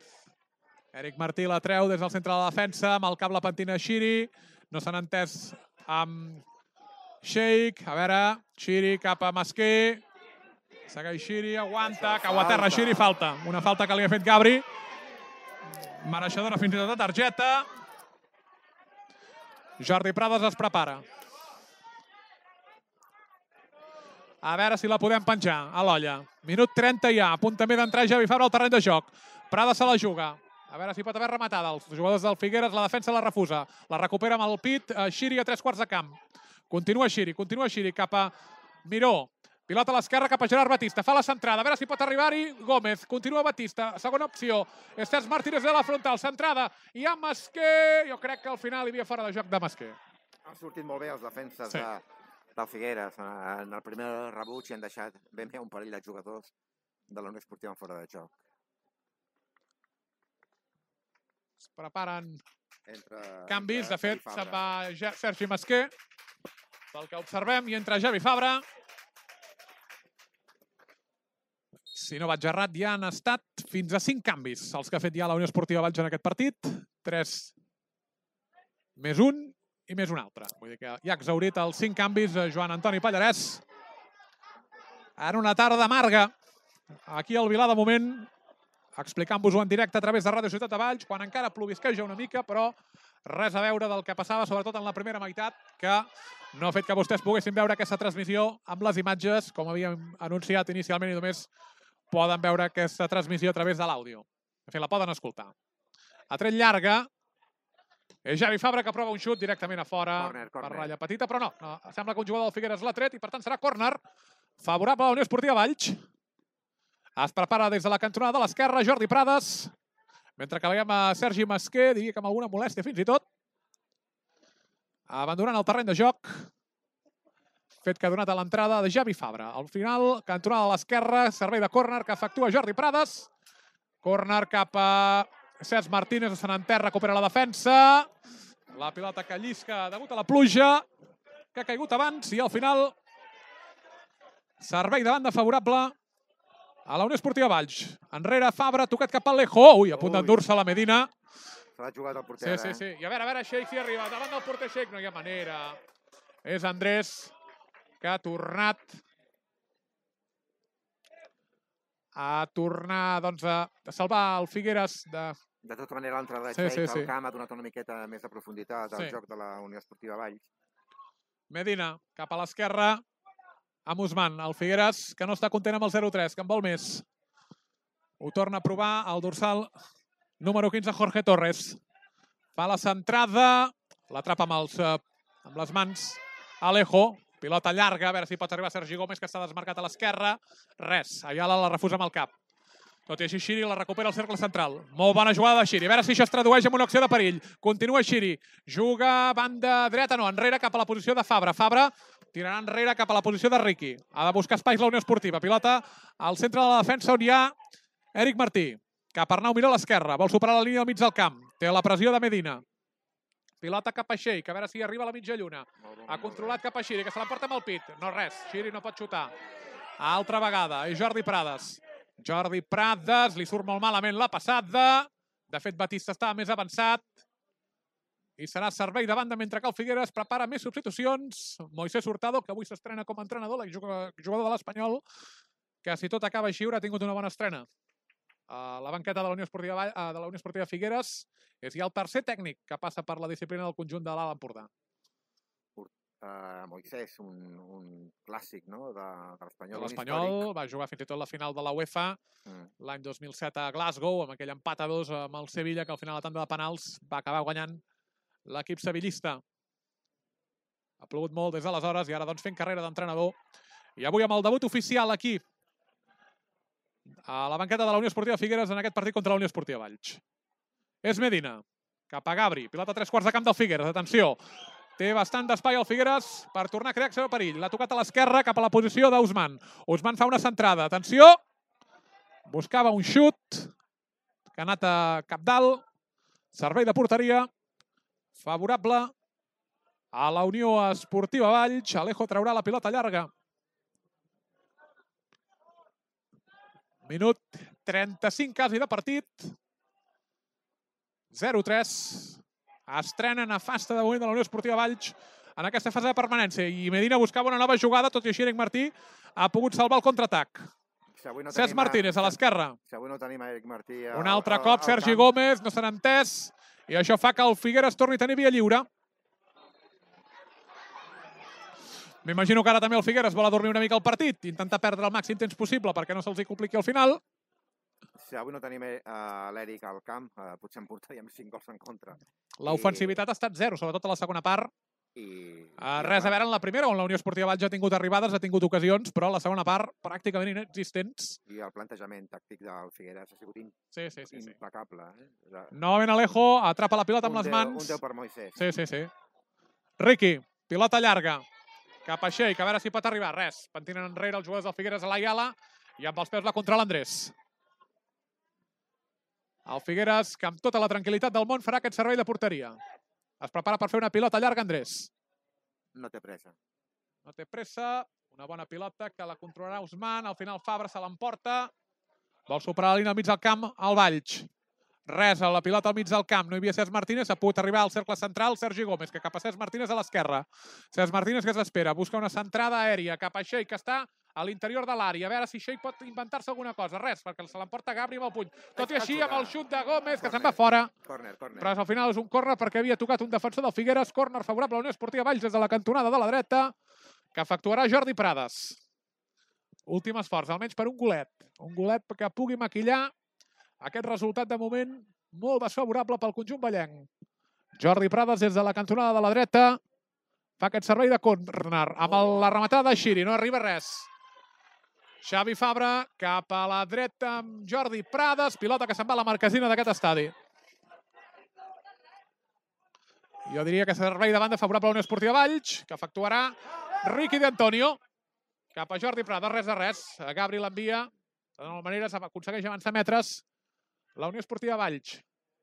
Eric Martí la treu des del centre de la defensa, amb el cap la pentina Xiri. No s'han entès amb Sheikh. A veure, Xiri cap a Masquer. Segueix Xiri, aguanta, cau a terra Xiri, falta. Una falta que li ha fet Gabri. Mereixedora fins i tot de targeta. Jordi Prades es prepara. A veure si la podem penjar a l'olla. Minut 30 ja, a punt també d'entrar Javi Fabra al terreny de joc. Prades se la juga. A veure si pot haver rematada. Els jugadors del Figueres, la defensa la refusa. La recupera amb el pit Xiri a 3 quarts de camp. Continua Xiri cap a Miró. Pilota a l'esquerra cap a Gerard Batista. Fa la centrada. A veure si pot arribar-hi Gómez. Continua Batista. Segona opció. Cesc Martínez de la frontal. Centrada. I a Masquer. Jo crec que al final hi havia fora de joc de Masquer. Han sortit molt bé els defenses del Figueres. En el primer rebuig hi han deixat ben bé un parell de jugadors de la Unió Esportiva fora de joc. Es preparen canvis. De fet, se'n va Sergi Masquer. Pel que observem, i entra Javi Fabra. Si no vaig errat, ja han estat fins a 5 canvis els que ha fet ja la Unió Esportiva Valls en aquest partit. 3 més un i més un altre. Vull dir que ja ha exhaurit els 5 canvis Joan Antoni Pallarès. En una tarda amarga, aquí al Vilar de moment, explicant-vos-ho en directe a través de Ràdio Ciutat de Valls, quan encara plovisqueja una mica, però res a veure del que passava, sobretot en la primera meitat, que no ha fet que vostès poguessin veure aquesta transmissió amb les imatges, com havíem anunciat inicialment, i només poden veure aquesta transmissió a través de l'àudio. De fet, la poden escoltar. A tret llarga, és Javi Fabra que prova un xut directament a fora per ratlla petita, però no. Sembla que un jugador del Figueres l'ha tret i, per tant, serà córner favorable a la Unió Esportiva Valls. Es prepara des de la cantonada de l'esquerra Jordi Prades, mentre que veiem a Sergi Masquer, diria que amb alguna molèstia fins i tot, abandonant el terreny de joc, fet que ha donat a l'entrada de Javi Fabra. Al final, cantonada a l'esquerra, servei de córner que efectua Jordi Prades. Córner cap a Cesc Martínez, se n'enterra, recupera la defensa. La pilota que llisca degut a la pluja, que ha caigut abans, i al final servei de banda favorable a la Unió Esportiva Valls. Enrere Fabra, tocat cap a Alejo. Ui, a punt d'endur-se la Medina. Se l'ha jugat el porter, Sí. I a veure, Sheikh si arriba. Davant del porter Sheikh no hi ha manera. És Andrés, que ha tornat doncs, a salvar el Figueres de... De tota manera, l'entrada de Sheikh al camp ha donat una miqueta més de profunditat al joc de la Unió Esportiva Valls. Medina, cap a l'esquerra, amb Usman. El Figueres, que no està content amb el 0-3, que en vol més. Ho torna a provar el dorsal número 15, Jorge Torres. Fa la centrada, l'atrapa amb les mans Alejo. Pilota llarga, a veure si pot arribar Sergi Gómez, que està desmarcat a l'esquerra. Res, Ayala la refusa amb el cap. Tot i així, Xiri la recupera al cercle central. Molt bona jugada de Xiri. A veure si això es tradueix en una acció de perill. Continua Xiri. Juga banda dreta, no, enrere cap a la posició de Fabra. Fabra tirarà enrere cap a la posició de Riqui. Ha de buscar espais la Unió Esportiva. Pilota al centre de la defensa on hi ha Eric Martí. Cap a Arnau Miró a l'esquerra. Vol superar la línia al mig del camp. Té la pressió de Medina. Pilota cap a Sheikh, a veure si arriba a la mitja lluna. Ha controlat cap a Xiri, que se l'emporta amb el pit. No res, Xiri no pot xutar. Altra vegada, és Jordi Prades. Jordi Prades, li surt molt malament la passada. De fet, Batista estava més avançat. I serà servei de banda mentre que el Figueres prepara més substitucions. Moisés Hurtado, que avui s'estrena com a entrenador, jugador de l'Espanyol, que si tot acaba així haurà tingut una bona estrena. La banqueta de la Unió Esportiva Figueres és ja el tercer tècnic que passa per la disciplina del conjunt de l'Alt Empordà. Moisés, un clàssic de l'Espanyol. L'Espanyol va jugar fins i tot la final de la UEFA l'any 2007 a Glasgow, amb aquell empat a 2 amb el Sevilla, que al final a la tanda de penals va acabar guanyant l'equip sevillista. Ha plogut molt des d'aleshores i ara doncs fent carrera d'entrenador. I avui amb el debut oficial aquí a la banqueta de la Unió Esportiva Figueres en aquest partit contra la Unió Esportiva Valls. És Medina, cap a Gabri, pilota a 3 quarts de camp del Figueres, atenció. Té bastant d'espai el Figueres per tornar a crear acció de perill. L'ha tocat a l'esquerra cap a la posició d'Usman. Usman fa una centrada, atenció. Buscava un xut, que ha anat a cap dalt. Servei de porteria favorable a la Unió Esportiva Valls. Alejo traurà la pilota llarga. Minut 35 quasi de partit. 0-3. Estrena nefasta de moment de la Unió Esportiva Valls en aquesta fase de permanència. I Medina buscava una nova jugada, tot i així Eric Martí ha pogut salvar el contraatac. Cesc Martínez a l'esquerra. Si avui no tenim Eric Martí... Un altre cop Sergi Gómez, no s'han entès. I això fa que el Figueres torni a tenir via lliure. M'imagino que ara també el Figueres vol adormir una mica el partit, intentar perdre el màxim temps possible perquè no se'ls hi compliqui al final. Si avui no tenim l'Eric al camp, potser en portaríem 5 gols en contra. L'ofensivitat ha estat 0, sobretot a la segona part. Res a veure en la primera, on la Unió Esportiva Valls ha tingut arribades, ha tingut ocasions, però la segona part pràcticament inexistents. I el plantejament tàctic del Figueres ha sigut impecable. Novament Alejo atrapa la pilota amb les mans. Un 10 per Moisés. Sí. Riqui, pilota llarga. Cap a Sheik, a veure si pot arribar. Res, pentinen enrere els jugadors del Figueres a l'Ayala i amb els peus la contra l'Andrés. El Figueres, que amb tota la tranquil·litat del món, farà aquest servei de porteria. Es prepara per fer una pilota llarga, Andrés. No té pressa. No té pressa. Una bona pilota que la controlarà Ousmane. Al final Fabra se l'emporta. Vol superar la línia al mig del camp al Valls. Res a la pilota al mig del camp. No hi havia Cesc Martínez. Ha pogut arribar al cercle central Sergi Gómez, que cap a Cesc Martínez a l'esquerra. Cesc Martínez que s'espera. Busca una centrada aèria cap a Sheik, que està a l'interior de l'àrea. A veure si Sheik pot inventar-se alguna cosa. Res, perquè se l'emporta Gabri amb el puny. Tot i així, amb el xut de Gómez, que se'n va fora. Però al final és un córner perquè havia tocat un defensor del Figueres. Córner favorable a la Unió Esportiva Valls des de la cantonada de la dreta, que efectuarà Jordi Prades. Últim esforç, almenys per un golet. Un golet que pugui maquillar aquest resultat de moment molt desfavorable pel conjunt vallenc. Jordi Prades des de la cantonada de la dreta fa aquest servei de córner amb la rematada de Xiri. No arriba res. Xavi Fabra cap a la dreta amb Jordi Prades. Pilota que se'n va a la marquesina d'aquest estadi. Jo diria que servei de banda favorable a la Unió Esportiva Valls, que efectuarà Riqui d'Antonio. Cap a Jordi Prades, res de res. Gabri l'envia. De nou maneres aconsegueix avançar metres la Unió Esportiva Valls.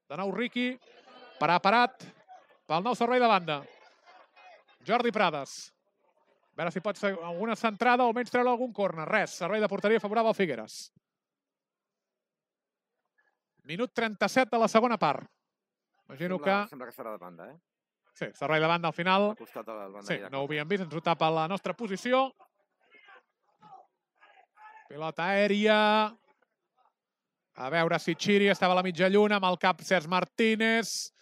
De nou Riqui, preparat pel nou servei de banda. Jordi Prades. A veure si pot fer alguna centrada o almenys treure algun córner. Res, servei de porteria favorable al Figueres. Minut 37 de la segona part. Imagino que... Sembla que serà de banda, Sí, servei de banda al final. Al costat de la banda. Sí, no ho havíem vist, ens ho tapa la nostra posició. Pilota aèria. A veure si Xiri estava a la mitja lluna amb el cap Cesc Martínez.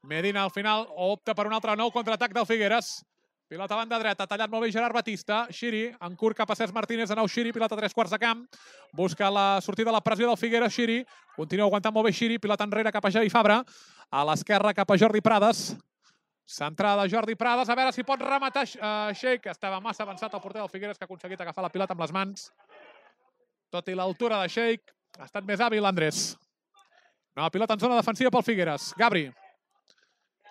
Medina al final opta per un altre nou contraatac del Figueres. Pilota a banda dreta, tallat molt bé Gerard Batista. Xiri, en curt cap a Cesc Martínez, de nou Xiri, pilota a 3/4 de camp. Busca la sortida de la pressió del Figueres, Xiri. Continua aguantant molt bé Xiri, pilota enrere cap a Xavi Fabra. A l'esquerra cap a Jordi Prades. Centrada de Jordi Prades, a veure si pot rematar Sheik, que estava massa avançat el porter del Figueres, que ha aconseguit agafar la pilota amb les mans. Tot i l'altura de Sheik, ha estat més hàbil l'Andrés. Nova pilota en zona defensiva pel Figueres. Gabri.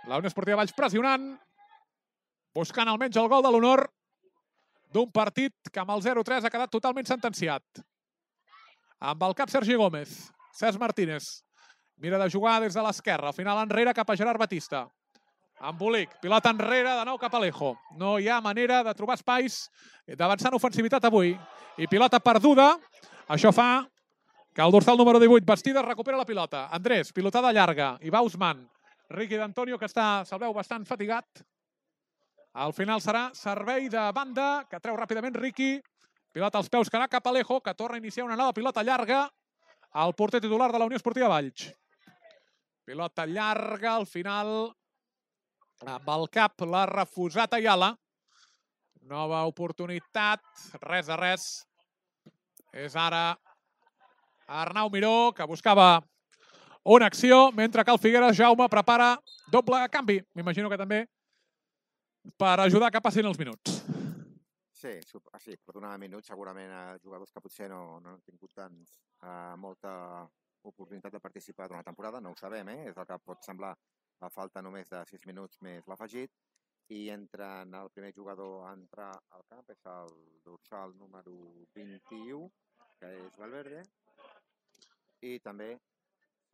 La Unió Esportiva Valls pressionant, buscant almenys el gol de l'honor d'un partit que amb el 0-3 ha quedat totalment sentenciat. Amb el cap Sergi Gómez. Cesc Martínez mira de jugar des de l'esquerra. Al final enrere cap a Gerard Batista. Embolic, pilota enrere, de nou cap a Alejo. No hi ha manera de trobar espais, d'avançar en ofensivitat avui. I pilota perduda. Això fa que el dorsal número 18, Bastidas, recupera la pilota. Andrés, pilotada llarga. I va Ousmane. Riqui d'Antonio, que està, se'l veu bastant fatigat. Al final serà servei de banda, que treu ràpidament Riqui. Pilota als peus que anà cap a Alejo, que torna a iniciar una nova pilota llarga. El porter titular de la Unió Esportiva Valls. Pilota llarga, al final... Amb el cap l'ha refusat Ayala. Nova oportunitat, res de res. És ara Arnau Miró, que buscava una acció, mentre que el Figueres, Jaume, prepara doble canvi. M'imagino que també per ajudar que passin els minuts. Sí, per donar minuts segurament a jugadors que potser no han tingut molta oportunitat de participar durant la temporada, no ho sabem, és el que pot semblar a falta només de 6 minuts més l'afegit, i entra el primer jugador a entrar al camp, és el dorsal número 21, que és Valverde, i també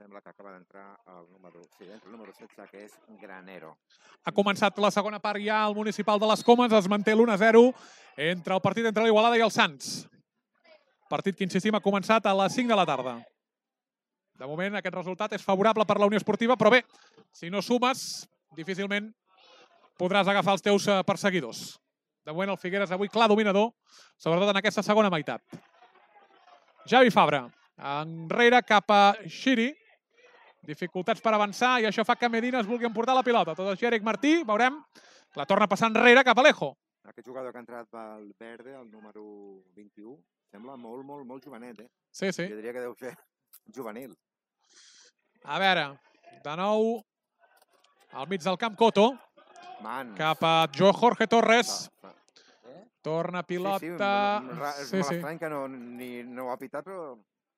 Sembla que acaba d'entrar el número 16, que és Granero. Ha començat la segona part ja al Municipal de les Comes, es manté l'1-0 entre el partit entre l'Igualada i el Sants. Partit que, insistim, ha començat a les 5 de la tarda. De moment, aquest resultat és favorable per la Unió Esportiva, però bé, si no sumes, difícilment podràs agafar els teus perseguidors. De moment, el Figueres avui clar dominador, sobretot en aquesta segona meitat. Javi Fabra, enrere cap a Xiri. Dificultats per avançar i això fa que Medina es vulgui emportar la pilota. Tot així, Eric Martí, veurem, la torna passar enrere cap a Alejo. Aquest jugador que ha entrat pel verde, el número 21, sembla molt jovenet, eh? Sí. Jo diria que deu ser juvenil. A veure, de nou, al mig del camp, Coto, cap a Jorge Torres. Torna pilota... És molt estrany que no ho ha pitat, però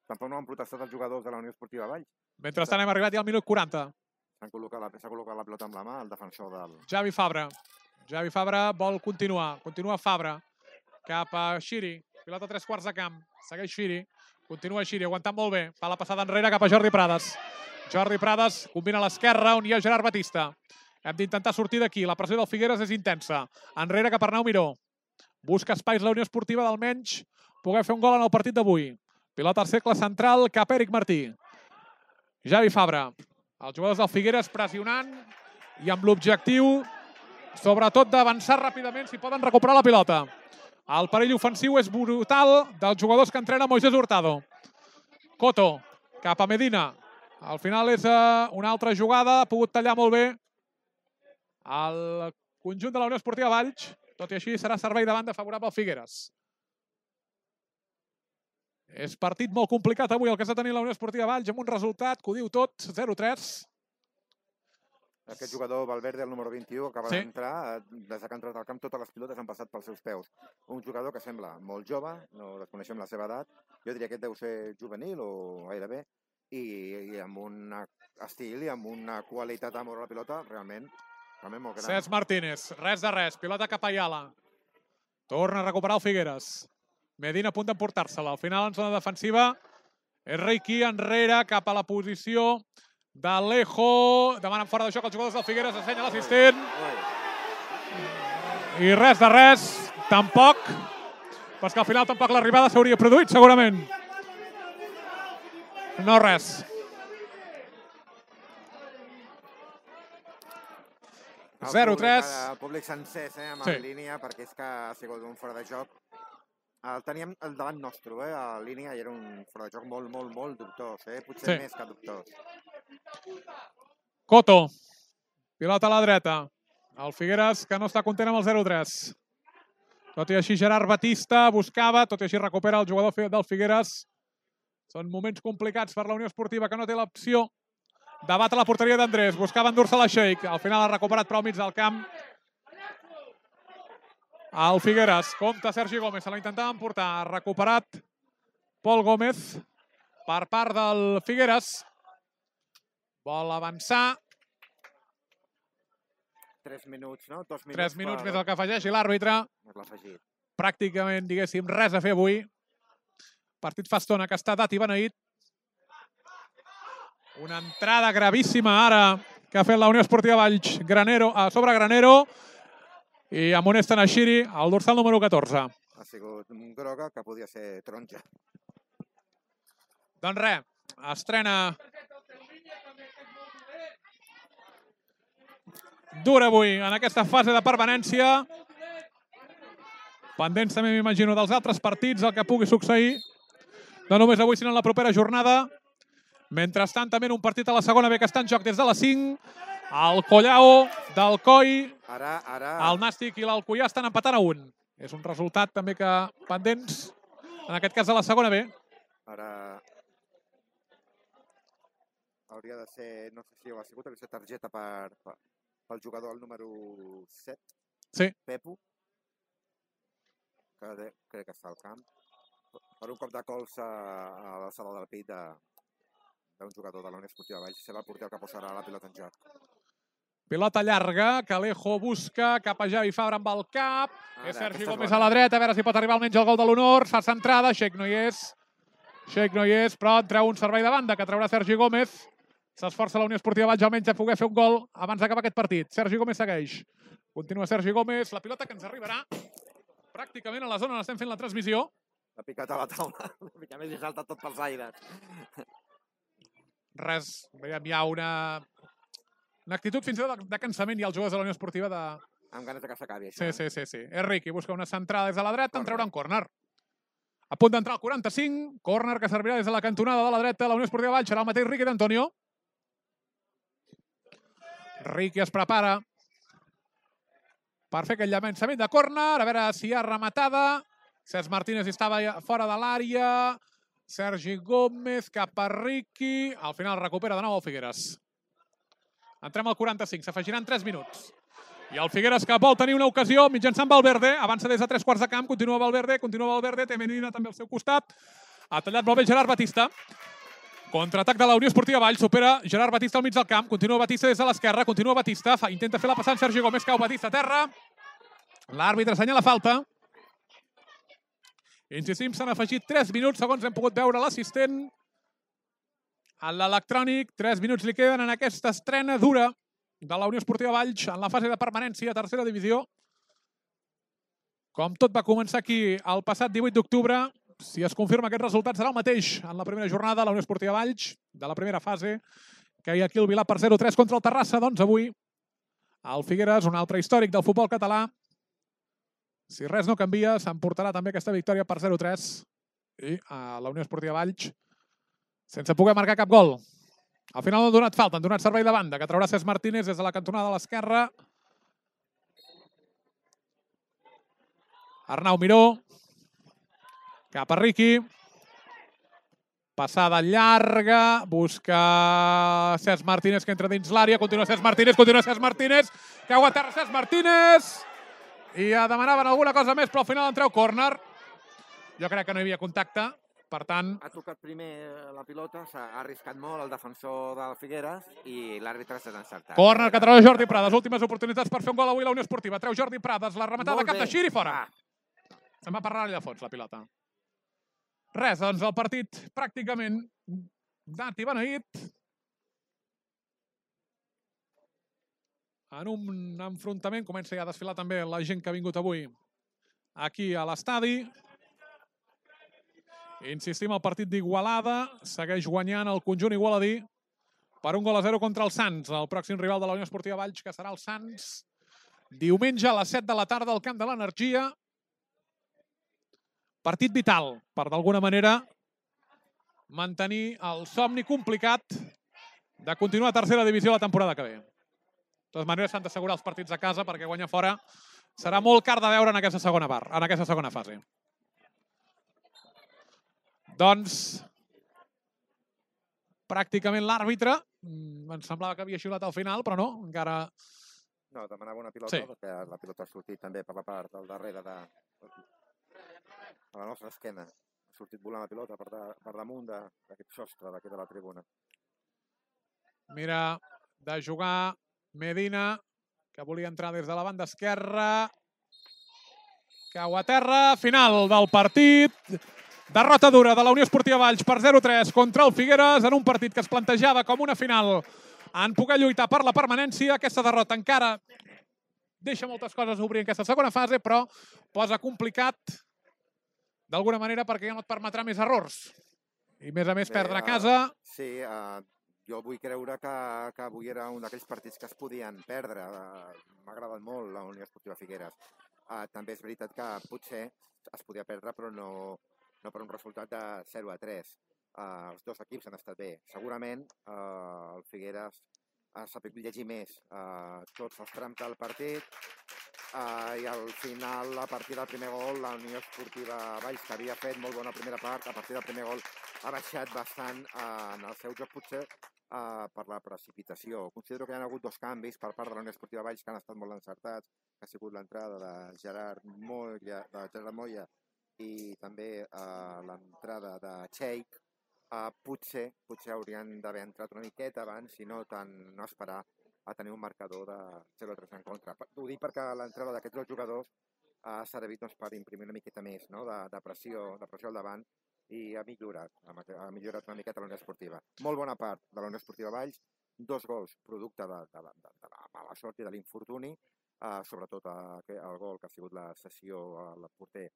tampoc no han protestat els jugadors de la Unió Esportiva Valls. Mentrestant hem arribat ja al minut 40. S'ha col·locat la pilota amb la mà, el defensor del... Javi Fabra. Javi Fabra vol continuar. Continua Fabra. Cap a Xiri. Pilota a 3/4 de camp. Segueix Xiri. Continua Xiri, aguantant molt bé. Fa la passada enrere cap a Jordi Prades. Jordi Prades combina a l'esquerra, on hi ha Gerard Batista. Hem d'intentar sortir d'aquí. La pressió del Figueres és intensa. Enrere cap a Arnau Miró. Busca espais la Unió Esportiva d'almenys poder fer un gol en el partit d'avui. Pilota al cercle central cap a Eric Martí. Javi Fabra. Els jugadors del Figueres pressionant i amb l'objectiu, sobretot, d'avançar ràpidament si poden recuperar la pilota. El perill ofensiu és brutal dels jugadors que entrena Moisés Hurtado. Coto, cap a Medina. Al final és una altra jugada, ha pogut tallar molt bé el conjunt de la Unió Esportiva Valls. Tot i així serà servei de banda favorable al Figueres. És partit molt complicat avui el que està tenint la Unió Esportiva Valls amb un resultat que ho diu tot, 0-3. Aquest jugador, Valverde, el número 21, acaba d'entrar. Des que ha entrat al camp, totes les pilotes han passat pels seus peus. Un jugador que sembla molt jove, no desconeixem la seva edat. Jo diria que aquest deu ser juvenil o gairebé. I amb un estil i amb una qualitat a moure la pilota realment molt gran. Cesc Martínez, res de res, pilota cap a Ayala. Torna a recuperar el Figueres. Medina a punt d'emportar-se-la. Al final, en zona defensiva, és Reiki enrere cap a la posició d'Alejo. Demanen fora de joc els jugadors del Figueres, assenya l'assistent. I res de res, tampoc. Però és que al final tampoc l'arribada s'hauria produït, segurament. No res. El 0-3. El públic sencer amb la línia, perquè és que ha sigut un fora de joc. El teníem al davant nostre, a la línia, i era un fora de joc molt dubtós, potser més que dubtós. Coto, pilota a la dreta. El Figueres que no està content amb el 0-3. Tot i així Gerard Batista buscava, tot i així recupera el jugador del Figueres. Són moments complicats per la Unió Esportiva que no té l'opció de batre la porteria d'Andrés. Buscava endur-se la Sheik. Al final ha recuperat prou mig del camp. El Figueres. Compte Sergi Gómez. Se l'ha intentat emportar. Ha recuperat Pol Gómez per part del Figueres. Vol avançar. 3 minuts, no? 2 minuts. 3 minuts més el que afegeixi l'àrbitre. Pràcticament, diguéssim, res a fer avui. Partit fa estona que està dat i beneït. Una entrada gravíssima ara que ha fet la Unió Esportiva Valls a sobre Granero i amonesten a Xiri, el dorsal número 14. Ha sigut un groga que podia ser taronja. Doncs res, estrena dura avui en aquesta fase de permanència. Pendents també, m'imagino, dels altres partits, el que pugui succeir. No només avui, sinó en la propera jornada. Mentrestant, també en un partit a la segona B que està en joc des de les 5. El Collao, del Coi, el Nàstic i l'Alcoià estan empatant a 1. És un resultat també que pendents, en aquest cas a la segona B. Ara hauria de ser, no sé si ho ha sigut, hauria de ser targeta pel jugador, el número 7, Pepu, que crec que està al camp, per un cop de colze a l'alçada del pit d'un jugador de la Unió Esportiva Valls. Serà el porter que posarà la pilota en joc. Pilota llarga, que Alejo busca cap a Javi Fabra amb el cap. És Sergi Gómez a la dreta, a veure si pot arribar almenys el gol de l'honor. Fa centrada, Sheik no hi és. Sheik no hi és, però entra un servei de banda que traurà Sergi Gómez. S'esforça la Unió Esportiva Valls almenys a poder fer un gol abans d'acabar aquest partit. Sergi Gómez segueix. Continua Sergi Gómez. La pilota que ens arribarà pràcticament a la zona on estem fent la transmissió. L'ha picat a la taula. Una mica més i salta tot pels aires. Res. Hi ha una actitud fins i tot de cansament i els jugadors de la Unió Esportiva de... Amb ganes que s'acabi això. Sí. És Riqui. Busca una centrada des de la dreta, en treurà un córner. A punt d'entrar al 45. Córner que servirà des de la cantonada de la dreta. La Unió Esportiva Valls serà el mateix Riqui d'Antonio. Riqui es prepara per fer aquell llançament de córner, a veure si hi ha rematada. Cesc Martínez estava fora de l'àrea. Sergi Gómez cap a Riqui. Al final recupera de nou el Figueres. Entrem al 45, s'afegiran 3 minuts. I el Figueres que vol tenir una ocasió mitjançant Valverde. Avança des de 3 quarts de camp, continua Valverde, té Medina també al seu costat. Ha tallat molt bé Gerard Batista. Contraatac de la Unió Esportiva Valls, supera Gerard Batista al mig del camp, continua Batista des de l'esquerra, continua Batista, intenta fer la passant Sergi Gómez, cau Batista a terra. L'àrbitre assenyala falta. Insistim, s'han afegit 3 minuts, segons hem pogut veure l'assistent. A l'electrònic, 3 minuts li queden en aquesta estrena dura de la Unió Esportiva Valls en la fase de permanència a tercera divisió. Com tot va començar aquí el passat 18 d'octubre, si es confirma aquest resultat serà el mateix en la primera jornada, la Unió Esportiva Valls, de la primera fase, que hi ha aquí el Vilà per 0-3 contra el Terrassa. Doncs avui el Figueres, un altre històric del futbol català, si res no canvia, s'emportarà també aquesta victòria per 0-3 i a la Unió Esportiva Valls sense poder marcar cap gol. Al final no han donat falta, han donat servei de banda, que traurà Cesc Martínez des de la cantonada de l'esquerra. Arnau Miró, cap a Riqui. Passada llarga, busca Cesc Martínez que entra dins l'àrea, continua Cesc Martínez, cau a terra Cesc Martínez i demanaven alguna cosa més, però al final en treu córner. Jo crec que no hi havia contacte. Per tant... Ha tocat primer la pilota, s'ha arriscat molt el defensor del Figueres i l'àrbitre s'ha encertat. Córner que treu Jordi Prades, últimes oportunitats per fer un gol avui a la Unió Esportiva. Treu Jordi Prades, la rematada cap de Xiri fora. Se'n va per l'àrea de fons, la pilota. Res, doncs el partit pràcticament dat i beneït. En un enfrontament comença ja a desfilar també la gent que ha vingut avui aquí a l'estadi. Insistim, el partit d'Igualada segueix guanyant el conjunt igualadí per 1-0 contra el Sants, el pròxim rival de la Unió Esportiva Valls, que serà el Sants, diumenge a les 7 de la tarda al Camp de l'Energia. Partit vital per, d'alguna manera, mantenir el somni complicat de continuar a tercera divisió la temporada que ve. De totes maneres, s'han d'assegurar els partits a casa perquè guanyar fora serà molt car de veure en aquesta segona part, en aquesta segona fase. Doncs, pràcticament l'àrbitre, em semblava que havia xiulat al final, però no, encara... No, demanava una pilota, perquè la pilota ha sortit també per la part del darrere de la nostra esquena. Ha sortit volant la pilota per damunt d'aquest sostre d'aquí de la tribuna. Mira, de jugar Medina, que volia entrar des de la banda esquerra. Cau a terra, final del partit. Derrota dura de la Unió Esportiva Valls per 0-3 contra el Figueres en un partit que es plantejava com una final en poder lluitar per la permanència. Aquesta derrota encara deixa moltes coses a obrir en aquesta segona fase, però posa complicat d'alguna manera perquè ja no et permetrà més errors. I a més perdre a casa. Sí, jo vull creure que avui era un d'aquells partits que es podien perdre. M'ha agradat molt la Unió Esportiva Figueres. També és veritat que potser es podia perdre, però no per un resultat de 0-3. Els dos equips han estat bé. Segurament el Figueres ha sabut llegir més tots els trams del partit i al final, a partir del primer gol, la Unió Esportiva Valls, que havia fet molt bona primera part, a partir del primer gol ha baixat bastant en el seu joc, potser per la precipitació. Considero que hi ha hagut 2 canvis per part de la Unió Esportiva Valls que han estat molt encertats, que ha sigut l'entrada de Gerard Moya i també l'entrada de Cheik. Potser haurien d'haver entrat una miqueta abans i no esperar a tenir un marcador de 0-3 en contra. Ho dic perquè l'entrada d'aquests 2 jugadors ha servit per imprimir una miqueta més de pressió al davant i ha millorat una miqueta la Unió Esportiva. Molt bona part de la Unió Esportiva Valls, 2 gols producte de la mala sort i de l'infortuni, sobretot el gol que ha sigut la cessió al porter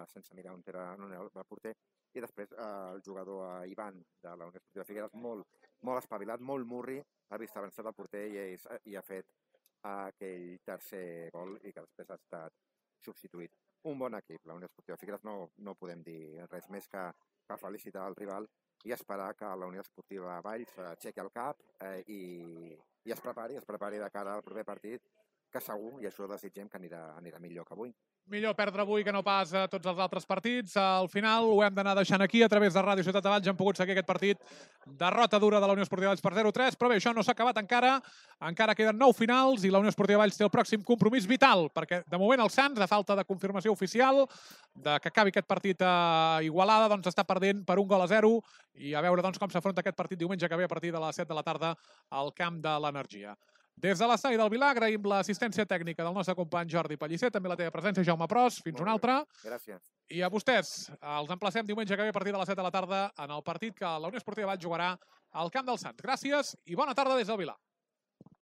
sense mirar on era el porter, i després el jugador Ivan de la Unió Esportiva Figueres, molt espavilat, molt murri, ha vist avançat el porter i ha fet aquell tercer gol i que després ha estat substituït. Un bon equip, la Unió Esportiva Figueres, no podem dir res més que felicitar el rival i esperar que la Unió Esportiva Valls aixequi el cap i es prepari de cara al proper partit, que segur, i això desitgem, que anirà millor que avui. Millor perdre avui que no pas a tots els altres partits. Al final ho hem d'anar deixant aquí. A través de Ràdio Ciutat de Valls hem pogut seguir aquest partit. Derrota dura de la Unió Esportiva Valls per 0-3, però bé, això no s'ha acabat encara. Encara queden 9 finals i la Unió Esportiva Valls té el pròxim compromís vital, perquè de moment el Sants, a falta de confirmació oficial de que acabi aquest partit a Igualada, doncs està perdent per 1-0 i a veure doncs, com s'afronta aquest partit diumenge que ve a partir de les 7 de la tarda al camp de l'Energia. Des de l'estadi del Vilar agraïm l'assistència tècnica del nostre company Jordi Pellicer, també la teva presència, Jaume Pros. Fins una altra. Gràcies. I a vostès, els emplacem diumenge que ve a partir de les 7 de la tarda en el partit que la Unió Esportiva Valls jugarà al camp del Sants. Gràcies i bona tarda des del Vilar.